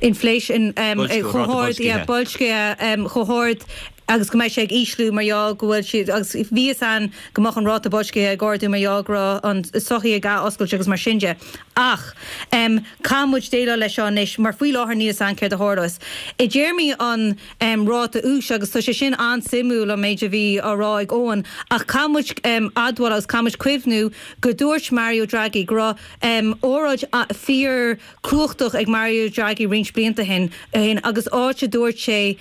inflation chomh hard, yeah, boilscithe chomh hard agus go mbeidh sé ag ísliú mar gheall go bhfuil siad, agus bhí fhios a'inn go mbeadh an ráta boilscithe ag ardú mar gheall go raibh an sochaí ag ath-oscailt agus mar sin de. Ach caithfidh muid déileáil leis seo anois mar faoi láthair níl fhios a'inn céard a tharlós. I dtéarmaí an ráta úis, agus tá sé sin an-suimiúil an méid a bhí á rá ag Eoin, ach caithfidh muid admháil agus caithfidh muid cuimhniú go dúirt Mario Draghi go raibh óráid fíor cumhachtach ag Mario Draghi roinnt blianta ó shin agus áit a dúirt sé.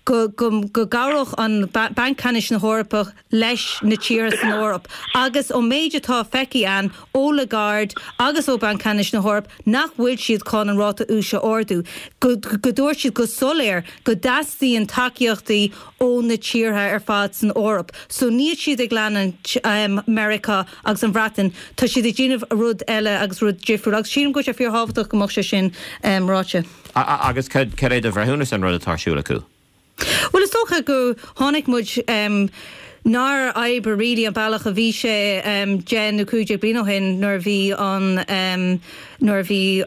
Go go gcabhródh an Banc Ceannais na hEorpa leis na tíortha san Eoraip agus ón méid atá feicthe againn ó Lagarde agus ó Banc Ceannais na hEorpa nach bhfuil siad chun an ráta úis a ardú, go go dúirt siad go soiléir go dteastaíonn tacaíochtaí ó na tíortha ar fad san Eoraip. So níl siad ag leanúint Meiriceá agus an Bhreatain, tá siad ag déanamh rud eile agus rud difriúil agus sílim go bhfuil sé fíorthábhachtach go mbeadh sé sin ráite. Agus cad é do bhreithiúnas ar an rud atá ar siúl acu? Bhuel, is dócha go chonaic muid nár oibrigh really an bealach a bhí sé 10 nó 15 bliain ó shin nuair a bhí an, nuair a bhí,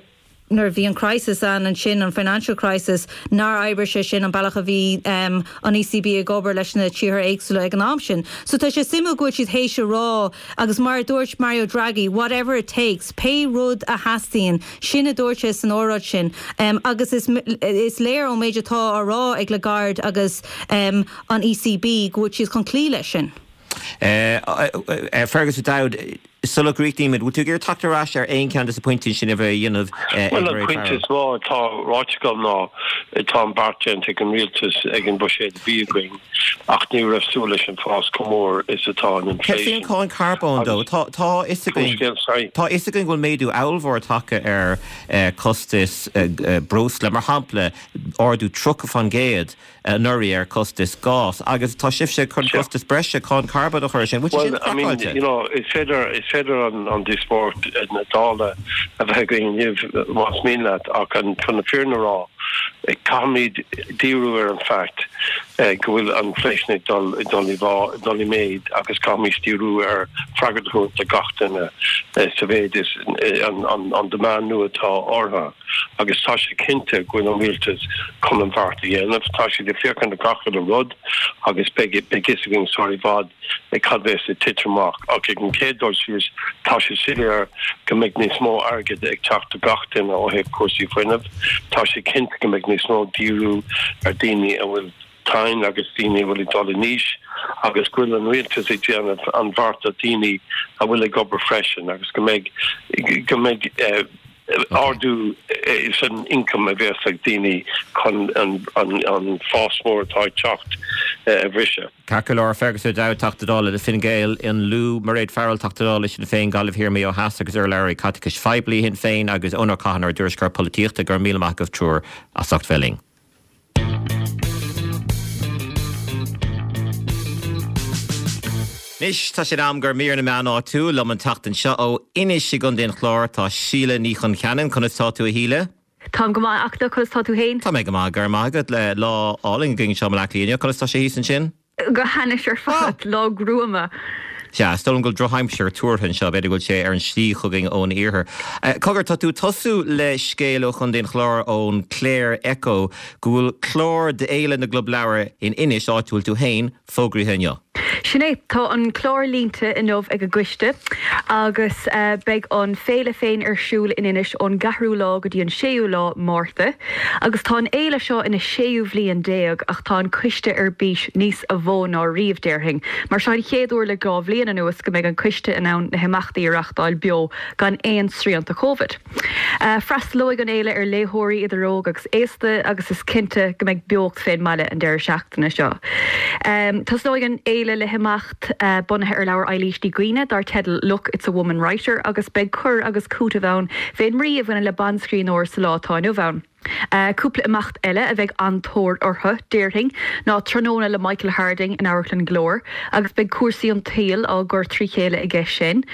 nuair a bhí an crisis ann ansin, an financial crisis, nár oibrigh sé sin an bealach a bhí an ECB ag obair leis na tíortha éagsúla ag an am sin. So tá sé suimiúil go bhfuil siad théis a rá agus mar a dúirt Mario Draghi, whatever it takes, pé rud a theastaíonn, Sin a dúirt sé san óráid sin agus is léir ón méid atá á rá ag Lagarde agus an ECB go bhfuil siad chun cloí leis sin. Fergus O'Dowd, sula gcríochnaímid, bhfuil tú ag iarraidh teacht ar ais ar aon cheann de na pointí sin a bheith a dhéanamh ag Bhuel, an pointe is mó atá ráite agam ná tá an beart déanta ag an rialtas ag an bhuiséad a bhí againn ach ní raibh súil leis an fás chomh mór is atá an inflation. Cén cáin carbóin dó? Tá a fhios againn tá a fhios againn go bhfuil méadú ollmhór tagtha ar costas breosla, mar shampla, ardú 30% anuraidh ar costas gás agus tá sibhse chun costas breise cáin carbóin a chur air sin. Bhfuil sé sin craiceáilte? Is féidir is féidir an díospóireacht na Dála a bheith againn inniu más mian leat ach chun na fírinne a rá caithfimid díriú ar an fact go bhfuil an inflation ag dul ag dul i dul i méid agus caithfimid díriú ar freagairt a thabhairt do gach duine sa mhéid is an an demand nua atá orthu agus tá sé cinnte go bhfuil an rialtas chun an bheart a dhéanamh. Tá siad ag féachaint ar gach uile rud agus beidh beidh fhios againn sar i bhfad cad bheas ag titim amach ach ag an chéad dul síos tá sé soiléir go mbeidh níos mó airgid ag teacht do gach duine ó thaobh cúrsaí fuinnimh. Tá sé cinnte go mbeidh níos mó díriú ar daoine a bhfuil tinn agus daoine a bhfuil ag dul in aois agus go bhfuil an rialtas ag déanamh an bheart do daoine a bhfuil ag obair freisin agus go mbeidh go mbeidh ardú san ioncam a bheas ag daoine chun an fás mór atá ag teacht a bhriseadh. Ceart go leor, Fergus O'Dowd, Teachta Dála le Fine Gael in Lú, Mairéad Farrell, Teachta Dála le Sinn Féin, Gaillimh Thiar Maigh Eo Theas agus urlabhraí caiteachais phoiblí Shinn Féin agus Eoin Ó Catháin, ár dtuairisceoir polaitíochta. Go raibh míle maith agaibh triúr as ucht bheith linn. Anois tá sé in am do mhír na meán áitiúil liom an tseachtain seo ó Inis i gContae an Chláir tá Síle Ní Choncheanainn. Conas tá tú a Shíle? Táim go maith a Fhachtna, conas tá tú féin? Tá mé go maith, go raibh maith agat. Lá álainn againn anseo i mBaile Átha Cliath inniu. Conas tá sé thíos ansin? Go hainnis ar fad, lá gruama. Sea, is dóigh liom go bhfuil drochaimsir tuartha anseo, b'fhéidir go bhfuil sé ar an slí chugainn ón iarthar. Cogar, tá tú ag tosú le scéal ó Chontae an Chláir ón Clare Echo go bhfuil clár d'Fhéile na gClub Leabhar in Inis, áit a bhfuil tú féin, fógraithe inniu. Sin é, tá an clár líonta inniu ag an gcoiste agus beidh an féile féin ar siúl in Inis ón gceathrú lá go dtí an séú lá Márta. Agus tá an fhéile seo ina séú bhliain déag ach tá an coiste ar bís níos a mhó ná riamh, déarfainn, mar seo an chéad uair le 2 bhliain anuas go mbeidh an coiste in ann na himeachtaí a reachtáil beo gan aon srianta Covid. Freastalóidh an fhéile ar léitheoirí idir óg agus aosta agus is cinnte go mbeidh beocht fén mbaile an deireadh seachtaine seo. Tosnóidh an fhéile le himeacht bunaithe ar leabhar Eilís Ní Dhuibhne dar teideal Look, It's a Woman Writer agus beidh cur agus cúiteamh ann fén mbrí a bhaineann le banscríbhneoir sa lá atá inniu ann. Cúpla imeacht eile a bheidh an-tóir orthu, déarfainn, ná tráthnóna le Michael Harding in Amharclann Glór agus beidh cúrsaí an tsaoil á gcur trí chéile aige sin.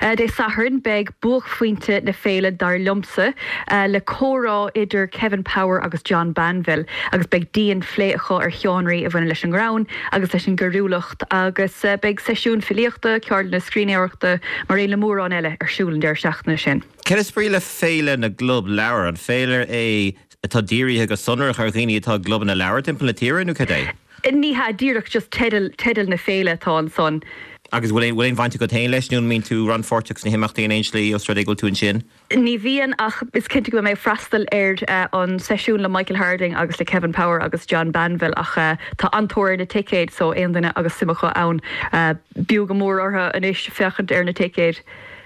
Dé Sathairn beidh buaicphointe na féile, dar liomsa, le comhrá idir Kevin Power agus John Banville agus beidh dian-phlé acu ar sheánraí a bhaineann leis an ngreann agus leis an gcoiriúlacht agus beidh seisiúin filíochta, ceardlanna scríbhneoireachta mar aon le mórán eile ar siúl an deireadh seachtaine sin. Céard is brí le Féile na gClub Leabhar? An féile é atá dírithe go sonrach ar dhaoine atá i gclubanna leabhar timpeall na tíre nó cad é? Ní hea, díreach just teideal, teideal na féile atá ansan. Agus bhfuil aon, bhfuil aon bhaint agat féin leis nó an mbíonn tú rannpháirteach sna himeachtaí in aon slí os rud é go bhfuil tú ansin? Ní bhíonn ach is cinnte go mbeidh mé ag freastal ar an seisiún le Michael Harding agus le Kevin Power agus John Banville ach tá an-tóir ar na ticéid so aon duine agus suim acu ann b'fhiú go mór orthu anois féachaint ar na ticéid.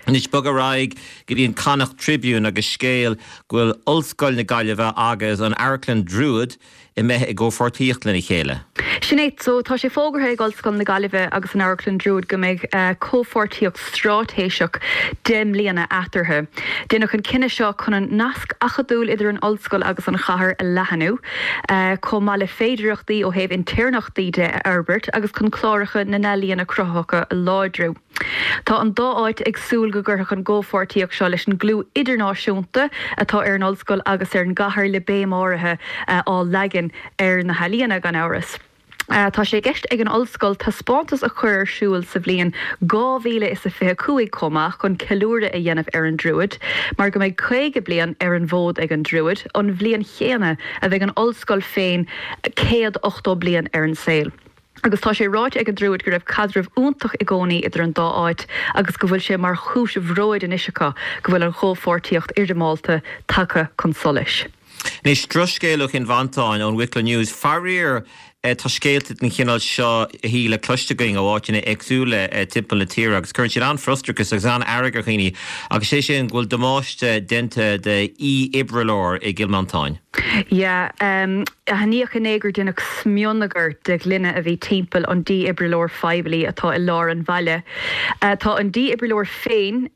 Anois bog ar aghaidh go dtí an Connacht Tribune agus scéal go bhfuil Ollscoil na Gaillimhe agus an Amharclann Druid imithe i gcomhpháirtíocht lena chéile. Sin é. So, tá sé fógartha ag Ollscoil na Gaillimhe agus an Amharclann Druid go mbeidh comhpháirtíocht straitéiseach 10 mbliana eatarthu. Deineadh an cinneadh seo chun an nasc acadúil idir an ollscoil agus an chathair a leathanú, chomh maith le féidearthachtaí ó thaobh intéirneachtaí de a fhorbairt agus chun cláracha na n-ealaíona cruthaitheacha a láidriú. Tá an dá áit ag súil go gcuirfeadh an gcomhpháirtíocht seo leis an gclú idirnáisiúnta atá ar an ollscoil agus ar an gcathair le béim áirithe á leagan ar na healaíona, gan amhras. Tá sé i gceist ag an ollscoil taispeántas a chur ar siúl sa bhliain 2025 chomh maith chun ceiliúradh a dhéanamh ar an Druid mar go mbeidh 50 bliain ar an bhfód ag an Druid, an bhliain chéanna a bheidh an ollscoil féin 180 bliain ar an saol. Agus tá sé ráite ag an Druid go raibh caidreamh iontach i gcónaí idir an dá áit agus go bhfuil sé mar chúis bhróid anois acu go bhfuil an chomhpháirtíocht fhoirmeálta tagtha chun solais. Anois, drochscéal ó Chinn Mhantáin, ón Wicklow News. Faraor, tá scéalta den chineál seo, a Shíle, cloiste againn ó áiteanna éagsúla timpeall na tíre agus cuireann siad an-fhrustrachas agus an-fhearg ar dhaoine agus sé sin go bhfuil damáiste déanta de dhífhibrileoir i gCill Mhantáin. Yeah. Aithníodh inné gur deineadh smionagar de ghloine a bhí timpeall an dífhibrileoir phoiblí atá i lár an bhaile. Tá an dífhibrileoir féin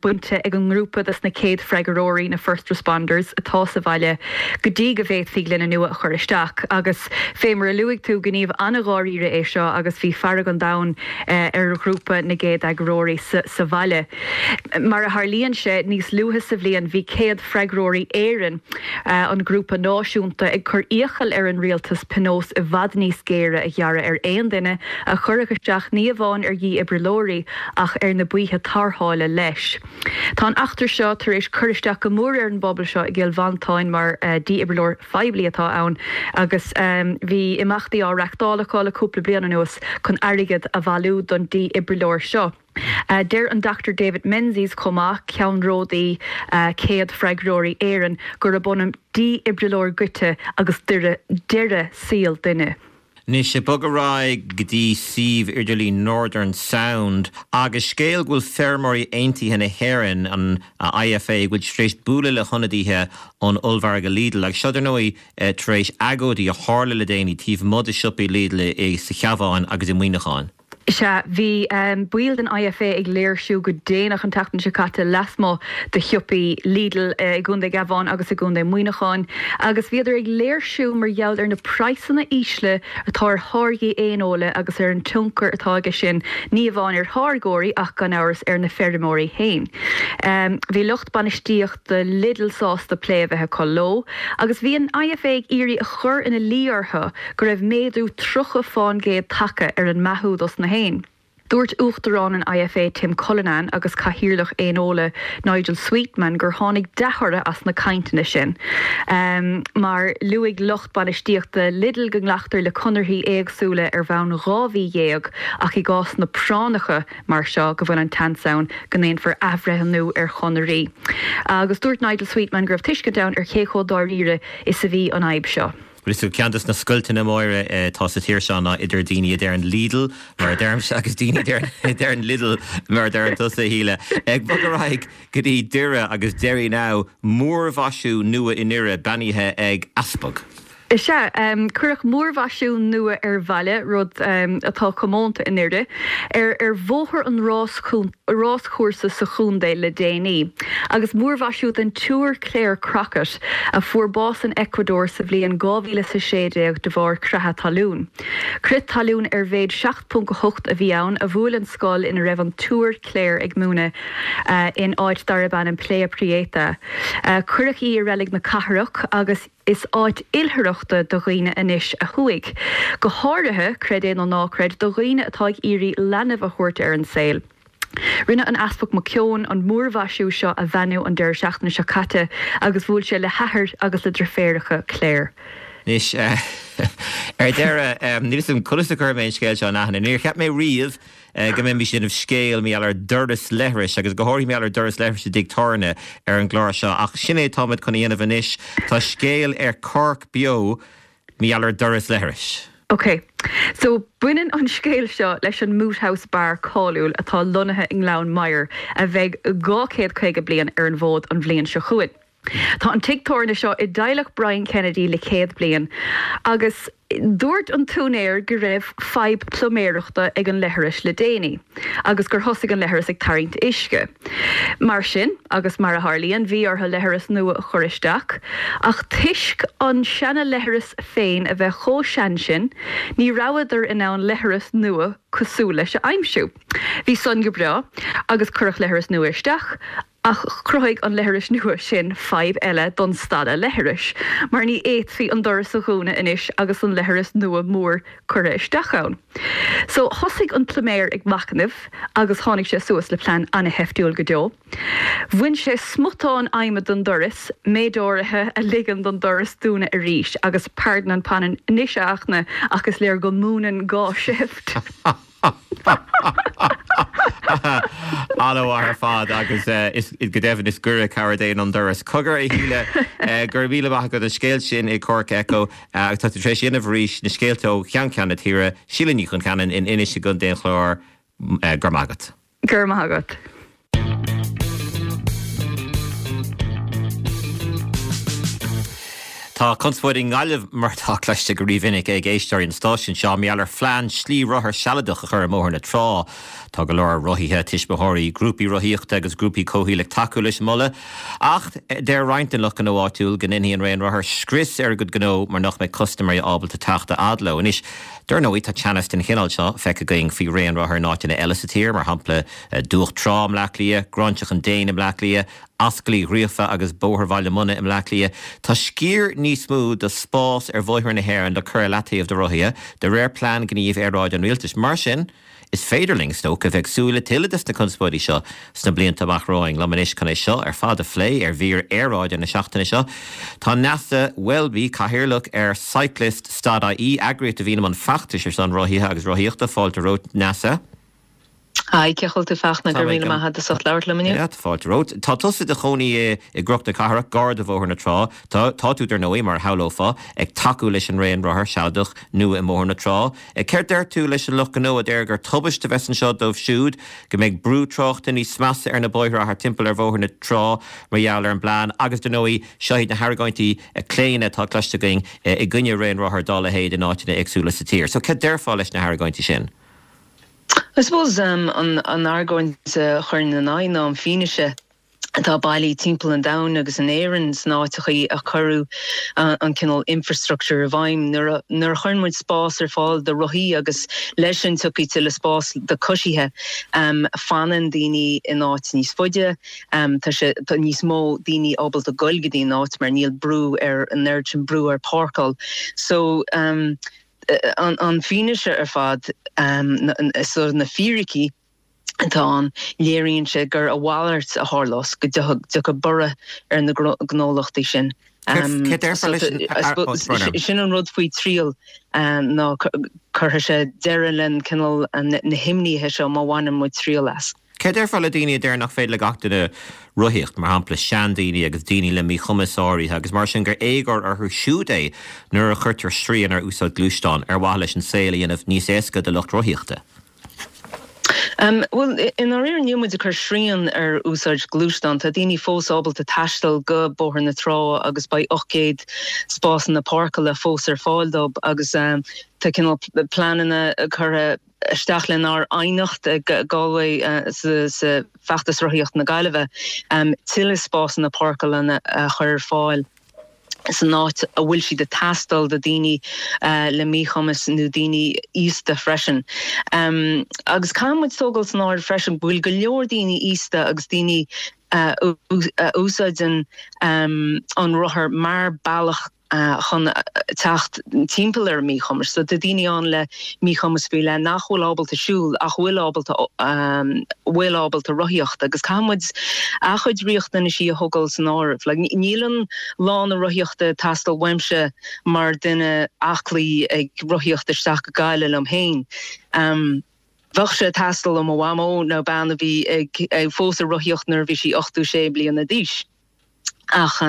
bainte ag an ngrúpa des na céad freagróirí, na first responders, atá sa bhaile go dtí go bhféadfaí gloine nua a chur isteach. Agus fé mar a luaigh tú, gníomh an-dháiríre é seo agus bhí fearg an domhain ar ghrúpa na gcéad-fhreagróirí sa bhaile. Mar a tharlaíonn sé, níos luaithe sa bhliain bhí Céad Freagróirí Éireann, an grúpa náisiúnta, ag cur iachall ar an rialtas pionós i bhfad níos géire a ghearradh ar aon duine a chuirfeadh isteach ní amháin ar dhífhibrileoirí ach ar na baoithe tarrthála leis. Tá an eachtra seo tar éis cur isteach go mór ar an bpobal seo i gCill Mhantáin mar dhífhibrileoir phoiblí atá ann agus bhí imeachtaí á reachtáil acu le cúpla bliain anuas chun airgead a bhailiú don dífhibrileoir seo. Deir an Dr David Menzies chomh maith, ceannródaí Céad Freagróirí Éireann, gurb ionann dífhibrileoir goidte agus deireadh saoil duine. Anois, ag bogadh ar aghaidh go dtí suíomh idirlín Northern Sound agus scéal go bhfuil Feirmeoirí Aontaithe na hÉireann, an IFA, go bhfuil siad tar éis bualadh le hionadaithe ón ollmhargadh Lidl agus seo dar ndóigh tar éis agóidí a tharla le déanaí taobh amuigh de siopaí Lidl i sa Chabhán agus i Muineachán. Sea, bhí baill den IFA ag léirsiú go déanach an tseachtain seo caite lasmuigh de shiopaí Lidl i gContae an Chabháin agus i gContae Mhuineacháin agus bhíodar ag léirsiú mar gheall ar na praghsanna ísle atá ar tháirgí éineola agus ar an tionchar atá aige sin ní amháin ar tháirgeoirí ach gan amhras ar na feirmeoirí féin. Bhí lucht bainistíochta Lidl sásta plé a bheith acu leo agus bhí an IFA ag iarraidh a chur ina luí orthu go raibh méadú 30 fán gcéad tagtha ar an mbeathú dos na héin. Dúirt Uachtarán an IFA Tim Cullinan agus Cathaoirleach Éineola Nigel Sweetman gur tháinig dea-thoradh as na cainteanna sin mar luaigh lucht bainistíochta Lidl go nglactar le conarthaí éagsúla ar bhonn 12 mhí ach i gcásanna práinneacha mar seo go bhfuil an tseans ann go ndéanfar athbhreithniú ar chonairí. Agus dúirt Nigel Sweetman go raibh tuiscint ann ar cé chomh dáiríre is a bhí an fhadhb seo. Bhuel, is ceann de na scoilteanna móra atá sa tír seo ná idir daoine a deireann Lidl, mar a deirimse, agus daoine a deireann Lidl, mar a deireann tusa, a Shíle. Ag bogadh ar aghaidh go dtí Doire agus Derrynow, múrmhaisiú nua i nDoire beannaithe ag easpag. Is ea, cuireadh múrmhaisiú nua ar bhaile, rud atá comónta i nDoire, ar Bhóthar an Ráschúrsa sa chontae le déanaí, agus múrmhaisiú den tSiúr Clare Crockett, a fuair bás in Ecuador sa bhliain 2016 de bharr creatha talún. Crith talún ar mhéid 7.8 a bhí ann a bhuail an scoil ina raibh an tSiúr Clare ag múineadh in áit darb ainm Playa Prieta. Cuireadh í i reilig na cathrach agus is áit oilithreachta do dhaoine anois a chuaigh. Go háirithe, creid é nó ná creid, do dhaoine atá ag iarraidh leanbh a thabhairt ar an saol. Rinne an Easpag McKeown an múrmhaisiú seo a bheannú an deireadh seachtaine seo caite agus bhuail sé le hathair agus le deirféaracha Clare. Anois, ar deireadh, níl 'fhios agam conas a chuirfidh mé an scéal seo in aithne. Níor cheap mé riamh go mbeimis ag déanamh scéal mar gheall ar dhoras leithris agus go háirithe mar gheall ar doras leithris i dtigh tábhairne ar an gclár seo ach sin é atáimid chun a dhéanamh anois. Tá scéal ar Cork Beo mar gheall ar doras leithris. Ok. So, baineann an scéal seo leis an Moot House Bar cáiliúil atá lonnaithe i nGleann Maghair a bheidh 250 bliain ar an bhfód an bhliain seo chugainn. Tá an tigh tábhairne seo i dteaghlach Brian Kennedy le 100 bliain agus dúirt an t-úinéir go raibh fadhb pluiméireachta ag an leithreas le déanaí agus gur thosaigh an leithreas ag tarraingt uisce. Mar sin, agus mar a tharlaíonn, bhí orthu leithreas nua a chur isteach, ach toisc an seana-leithreas féin a bheith chomh sean sin, ní rabhadar in ann leithreas nua cosúil leis a aimsiú. Bhí san go breá, agus cuireadh leithreas nua isteach, ach chruthaigh an leithreas nua sin fadhb eile don stalla leithris, mar ní fhéadfaí an doras a dhúnadh anois agus an leithreas nua mór curtha isteach ann. So, thosaigh an pluiméir ag machnamh agus tháinig sé suas le plean ana-sheiftiúil go deo. Bhain sé smután adhmaid den doras, méid áirithe a ligeann don doras dúnadh arís, agus pardon an pun anois a Fhachtna, ach is léir go múineann gá seift. An-mhaith ar fad agus is go deimhin is gaire cabhair Dé ná an doras. Cogar a Shíle, go raibh míle maith agat an scéal sin i Cork Echo agus tá tú tar éis dhéanamh arís na scéalta ó cheann ceann na tíre, Síle Ní Choncheanainn in Inis i gContae an Chláir, go raibh maith agat. Go raibh maith agat. Tá conspóid i nGaillimh, mar atá cloiste go rímhinic ag éisteoirí an stáisiúin seo, mar gheall ar phlean slí rothar sealadach a chur i mBóthar na Trá. Tá go leor rothaithe, tuismitheoirí, grúpaí rothaíochta agus grúpaí comhshaoil ag tacú leis an moladh. Ach deir roinnt den lucht gnó áitiúil go ndéanfaidh an raon rothar scrios ar a gcuid gnó mar nach mbeidh custaiméirí ábalta teacht a fhad leo. Anois, dar ndóigh, tá teannas den chineál seo feicthe againn faoi raon rothar in áiteanna eile sa tír, mar shampla Dumhach Trá i mBleá Cliath, Gráinseach an Déin i mBleá Cliath, Ascaill Uí Ghríofa agus Bóthar Bhaile Munna i mBleá Cliath. Tá sciar níos mó de spás ar bhóithre na hÉireann le cur ar leataobh do rothaithe, de réir Plean Gnímh Aeráide an Rialtais. Mar sin, is féidir linn, is dócha, a bheith ag súil le tuilleadh des na conspóidí seo sna blianta amach romhainn. Liom anois chun é seo ar fad a phlé ar mhír aeráide na seachtaine seo, tá Neasa Welby, Cathaoirleach ar Cyclist Stad IE, eagraíocht a bhíonn i mbun feachtais ar son rothaithe agus rothaíochta. Fáilte romhat, Neasa. Hi, cén chaoi a bhfuil tú Fachtna, go raibh míle maith agat as ucht labhairt liom inniu. Yeah, fáilte romhat. Tá tusa i do chónaí i gCnoc na Cathrach, gar do Bhóthar na Trá. Tá, tá tú, dar ndóigh, mar a shamhlófá, ag tacú leis an raon rothar sealadach nua i mBóthar na Trá. Céard deir tú leis an lucht gnó a deir gur tubaiste a bheas anseo dóibh siúd, go mbeidh brú tráchta níos measa ar na bóithre thart timpeall ar Bhóthar na Trá mar gheall ar an bplean agus, dar ndóigh, seo iad na hargóintí claona atá cloiste againn i gcoinne raon rothar dá leithéid in áiteanna éagsúla sa tír. So, céard déarfá leis na hargóintí sin? I suppose an argóint a chuirfinn ina aghaidh ná an fianaise atá bailithe timpeall an domhain agus in Éirinn sna áiteachaí a cuireadh an cineál infrastructure i bhfeidhm. Nuair a chuireann muid spás ar fáil do rothaí agus leis sin tiocfaidh tuilleadh spás do coisithe, fanann daoine in áit níos faide, tá sé tá níos mó daoine ábalta goil go dtí an áit mar níl brú ar an oiread sin brú ar páirceáil. So. an fianaise ar fad, so na fíricí atá ann, léiríonn sé gur a mhalairt a tharlós, go dtiocfaidh borradh ar na gnólachtaí sin. Sin an rud faoi triail ná cuirfidh sé deireadh le cineál na himníthe seo má bhaineann muid triail as. Céard déarfá le daoine a deir nach féidir le gach duine rothaíocht, mar shampla seandaoine agus daoine le míchumas áirithe agus mar sin gur éagóir orthu siúd é nuair a chuirtear srian ar úsáid gluaisteán ar mhaithe leis an saol a dhéanamh níos éasca do lucht rothaíochta? Bhuel, i ndáiríre níl muid ag cur srian ar úsáid gluaisteán. Tá daoine fós ábalta taisteal go Bóthar na Trá agus beidh 800 spásanna páirceála fós ar fáil dóibh agus tá cineál pleananna curtha isteach lenár aighneacht ag Galway sa Feachtas Rothaíochta na Gaillimhe, tuilleadh spásanna páirceála a chur ar fáil san áit a bhfuil siad ag teastáil do daoine le míchumas nó daoine aosta freisin. Agus caithfidh muid tógáil san áireamh freisin go bhfuil go leor daoine aosta agus daoine a úsáideann an rothar mar bealach chun teacht timpeall ar a míchumais. So tá daoine ann le míchumas faoi leith nach bhfuil ábalta siúl ach bhfuil ábalta bhfuil ábalta rothaíocht agus caithfidh muid a chuid riachtanaisí a thógáil san áireamh. Like níl an lána rothaíochta ag teastáil uaimse mar duine aclaí ag rothaíocht isteach go Gaillimh liom féin. Bheadh sé ag teastáil ó mo mhamó nó bean a bhí ag fós ag rothaíocht nuair a bhí sí 86 bliana d'aois. Ach.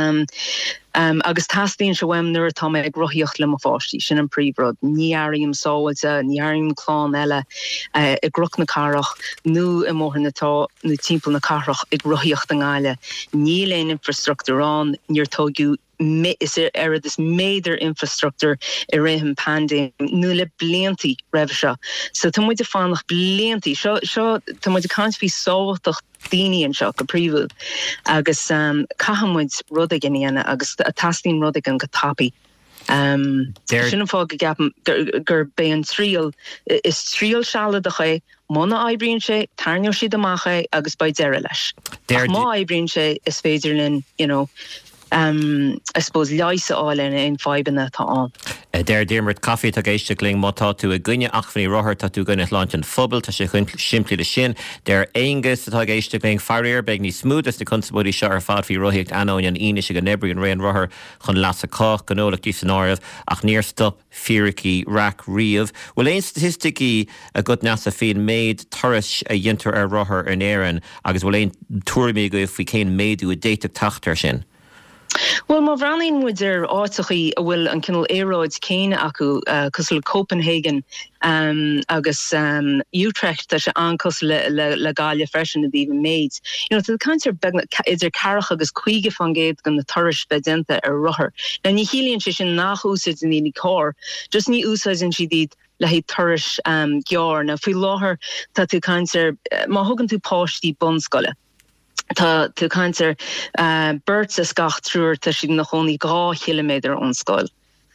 Agus teastaíonn sé uaim nuair atá mé ag rothaíocht le mo pháistí, sin an príomhrud. Ní airím sábháilte, ní airím clann eile i gCnoc na Cathrach nó i mBóthar na Trá nó timpeall na cathrach ag rothaíocht i nGaillimh. Níl aon infrastruchtúr ann, níor tóigeadh is oiread is méadar infrastruchtúir i rith an paindéim nó le bliantaí roimhe seo. So tá muid ag fanacht bliantaí. Seo, seo, tá muid ag caint faoi sábháilteacht daoine anseo go príomhúil agus caithfidh muid rud éigin a dhéanamh agus teastaíonn rud éigin go tapaidh. Sin an fáth go gceapaim gurb é an triail, is triail sealadach é, muna oibríonn sé, tarraingeoidh siad amach é agus beidh deireadh leis. Ach má oibríonn sé, is féidir linn, you know, I suppose, leigheas a fháil ar aon fadhbanna atá ann. Deir Diarmuid Coffey atá ag éisteacht linn, má tá tú i gcoinne acmhainní rothar, tá tú i gcoinne shláinte an phobail, tá sé chomh simplí le sin. Deir Aonghus atá ag éisteacht linn, faraor, beidh níos mó des na conspóidí seo ar fad faoi rothaíocht ainneoin an fhianaise go n-oibríonn raon rothar chun leasa cách, gnólachtaí san áireamh, ach níor stop fíricí raic riamh. Bhfuil aon staitisticí agat Neasa faoin méid turais a dhéantar ar rothar in Éirinn agus bhfuil aon tuairimí agaibh faoi cén méadú a d'fhéadfadh teacht air sin? Bhuel, má bhreathnaíonn muid ar áiteachaí a bhfuil an cineál aeráid céanna acu, cosúil le Copenhagen agus Utrecht, tá sé an-cosúil le Gaillimh freisin i dtaobh an méid. You know, tá tú ag caint ar beagnach idir ceathracha agus 50% de na turais bheith déanta ar rothar. Now, ní chiallaíonn sé sin nach úsáideann daoine carr, just ní úsáideann siad iad le haghaidh turais gearr. Now, faoi láthair, tá tú ag caint ar, má thugann tú páistí bunscoile, tá tú ag caint ar beirt as gach triúr, tá siad ina chónaí 2 chiliméadar ón scoil.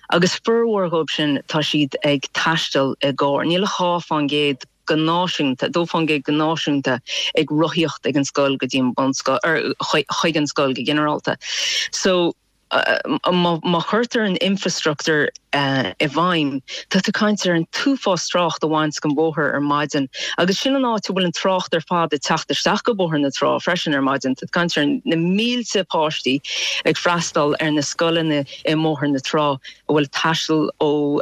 Agus formhór dhóibh sin, tá siad ag taisteal i gcarr. Níl ach 2 fán gcéad go náisiúnta, 2 fán gcéad go náisiúnta ag rothaíocht ag an scoil go dtí an bunscoil, or chuig an scoil go ginearálta. So, má chuirtear an infrastruchtúr i bhfeidhm, tá tú ag caint ar an t-uafás trácht a bhaint den bhóthar ar maidin agus sin an áit a bhfuil an trácht ar fad ag teacht isteach go Bóthar na Trá freisin ar maidin. Tá tú ag caint ar na mílte páistí ag freastal ar na scoileanna i mBóthar na Trá a bhfuil ag taisteal ó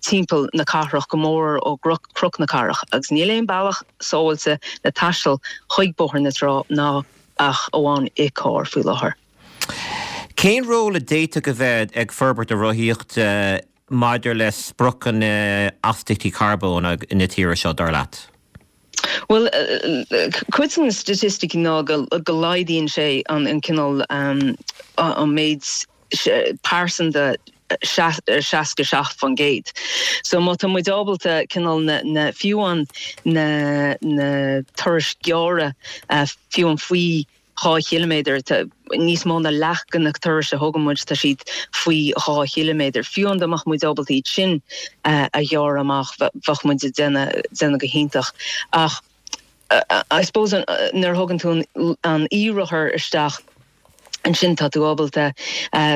timpeall na cathrach, go mór ó Chnoc na Cathrach agus níl aon bealach sábháilte le taisteal chuig Bóthar na Trá ná ach amháin i carr faoi láthair. Cén ról a d'fhéadfadh a bheith ag forbairt na rothaíochta maidir le spriocanna astaíochtaí carbóin na tíre seo, dar leat? Bhuel, cuid de na staitisticí ná go laghdaíonn sé an cineál, an méid pearsanta 67%. So má tá muid ábalta cineál na, fiú an na turais ghearra, fiú an faoi 2 chiliméadar, níos mó ná leath de na turais a thugann muid, tá siad faoi 2 chiliméadar. Fiú an dá mbeadh muid ábalta iad sin a ghearradh amach, bheadh muid ag déanamh go hiontach. Ach I suppose nuair a thugann tú an e-rothar isteach, ansin tá tú ábalta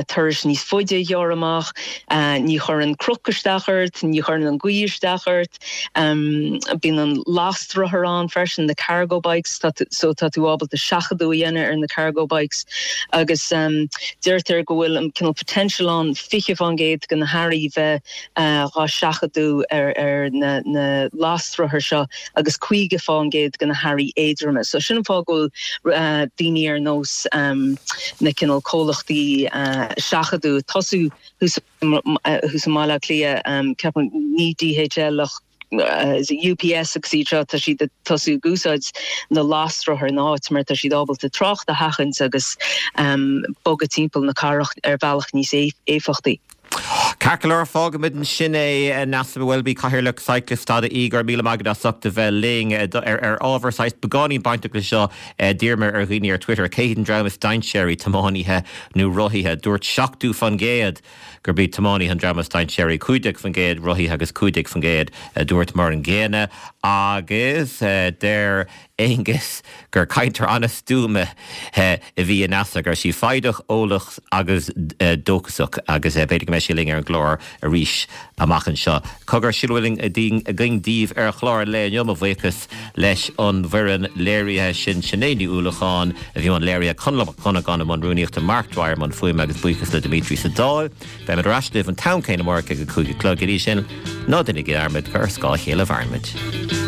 turais níos faide a ghearradh amach, ní chuireann cnoc isteach ort, ní chuireann an ghaoth isteach ort. Bíonn an lastrothar ann freisin, na cargo bikes, so tá tú ábalta seachadadh a dhéanamh ar na cargo bikes agus deirtear go bhfuil an cineál potential ann 20% de na hearraí bheith dhá seachadadh ar na lastrothair seo agus 50% de na hearraí éadroma. So sin an fáth go bhfuil daoine ar nós na cineál comhlachtaí seachadadh ag tosú thuas thuas i mBaile Átha Cliath, ceapaim, ní DHL ach UPS agus iad seo, tá siad ag tosú ag úsáid na lastrothar in áit mar tá siad ábalta trácht a sheachaint agus bogadh timpeall na cathrach ar bhealach níos éifeachtaí. Ceart go leor, fágfaimid ansin é. Neasa Welby, Cathaoirleach Cyclist.ie, go raibh míle maith agat as ucht a bheith linn ar ábhar saghas beagáinín bainteach le seo. D'iarr mé ar dhaoine ar Twitter cé hiad an dream is dainséaraí, tiománaithe nó rothaithe. Dúirt 70% gurb iad tiománaithe an dream is dainséaraí, 15% rothaithe agus 15% a dúirt mar an gcéanna. Agus deir Aonghus gur cainteoir an-stuama a bhí i Neasa, go raibh sí foighdeach, eolach agus dóchasach agus b'fhéidir go mbeidh sí linn ar an gclár arís amach anseo. Cogar, sin a bhfuil againn daoibh ar chlár an lae inniu. Mo bhuíochas leis an bhfoireann léirithe sin, Sinéad Ní Uallacháin a bhí i mbun léirithe, Conall Mac Dhonnagáin i mbun rúnaíochta, Mark Dwyer i mbun fuaime agus buíochas le Dimitri sa Dáil. Beimid ar ais libh an t-am céanna amárach ag a 5 a chlog. Go dtí sin, ná déanaigí dearmad gur ar scáth a chéile a mhaireann muid.